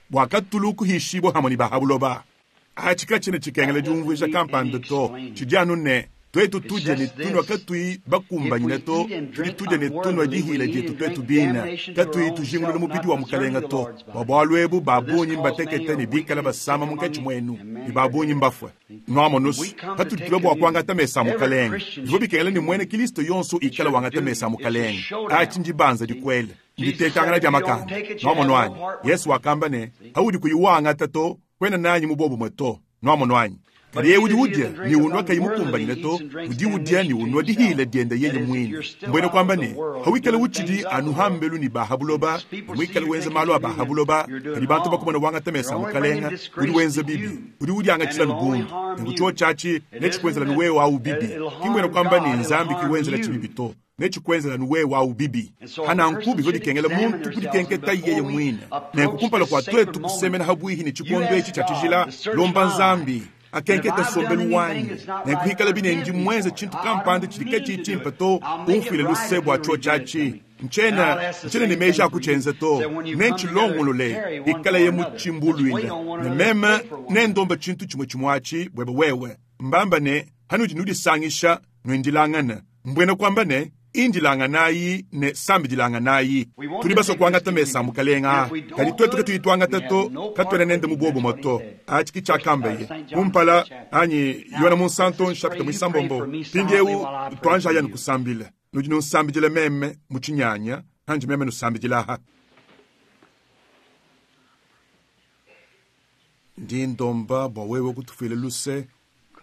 bua katulu kuhishibwa hamwe ne bahabuloba. Atshi katshina tshikengela diumvuija kampanda to tshidi anu ne twetu tudya ne tunwa katui bakumbanyine to tudi tudya ne tunwa dihila dietu twetu bina katui tujingulula mubidi wa mukalenga to. Bua bualu ebu babunyi mbatekete ne bikala basama munkatshi mwenu ne babunyi mbafue. Nwamonusu patudi tulua bua kuangata mesa mukalenga bivua bikengela ne mwene Kristo yonso ikala wangata mesa mukalenga. Atshi ndibanza dikwele nditekangana dia makanda. Nwamono anyi? Yesu wakamba ne haudi kuyiwangata to kwena nanyi mu bobumwe to. Nwamono anyi? Kadi yeye udi udia ni unwa kayi mukumbanyine to udi udia ni unwa dihile diende yeye mwine. Mbwene kwamba ne hawikale uchidi anuhambelu ni bahabuloba mwikale wenza malu a bahabuloba kadi bantu bakumona wangata mesa mukalenga udi wenza bibi udi udiangatshila lubundu nekucho chachi nechikwenzela nuwewe au bibi. Kimbwene kwamba ni Nzambi kiwenzela chibibi to Netshikwenzela anu wewe awu bibi. Pananku bivua bikengela muntu kudikenketa yeye muine. Nenku kumpala kua twetu kusemena habwihi ne tshikondo etshi tshia tshijila, lomba Nzambi akenkete nsombelu wanyi. Nenku hikala bine ndi mwenze tshintu kampanda tshidi katshitshimpe to, umfuile luse bua tshiotshi atshi. Ntshiena ntshiena ne meji a kutshienza to, nentshilongolole ikalaye mu tshimbuluile. Ne meme nendomba tshintu tshimue tshimue atshi buebe wewe. Mbamba ne hanudi nudisangisha nuindilangana. Mbwena kuamba ne indilanganayi ne sambidilanganayi. Tudi basue kuangata mesa a mukalenga, kadi twetu katuyi tuangata to, katuena nende mu buobumue to. Atshi ke tshiakambaye kumpala anyi Yohana Munsanto nshapita muisambombo. Mpindieu tuanjayi anu kusambila. Nudi nunsambidila meme mu tshinyanya, anji meme nusambidila. Ndi ndomba bua wewe kutufuila luse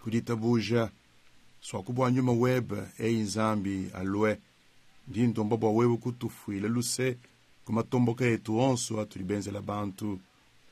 kuditabuja. Swaku bua nyuma webe, eyi Nzambi alue. Ndi ndomba bua wewe kutufuila luse ku matomboka etu onso atudi benzela bantu.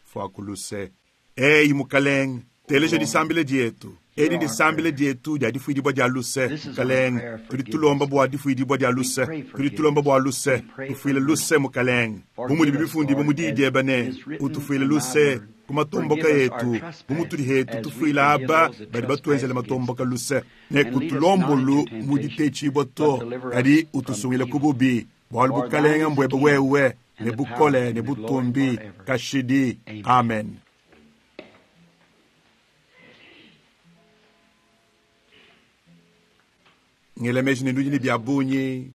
Fuaku luse. Eyi Mukalenge, teleja disambila dietu. Edi ndisambila dietu dia difuidibua dia luse. Mukalenge, tudi tulomba bua difuidibua dia luse. Tudi tulomba bua luse. Tufuile luse Mukalenge. Bu mudibi bifundibue mu diyi diebe ne, utufuile luse ku matomboka etu, bu mutudi hetu tufuila aba badi batuenzela matomboka luse. Ne kutulombolu mu ditetshibua to, kadi utusungile ku bubi. Bualu bukalenge mbuebe wewe, ne bukole ne butumbi kashidi. Amen. Ngela meji ne nudi ne bia bungi.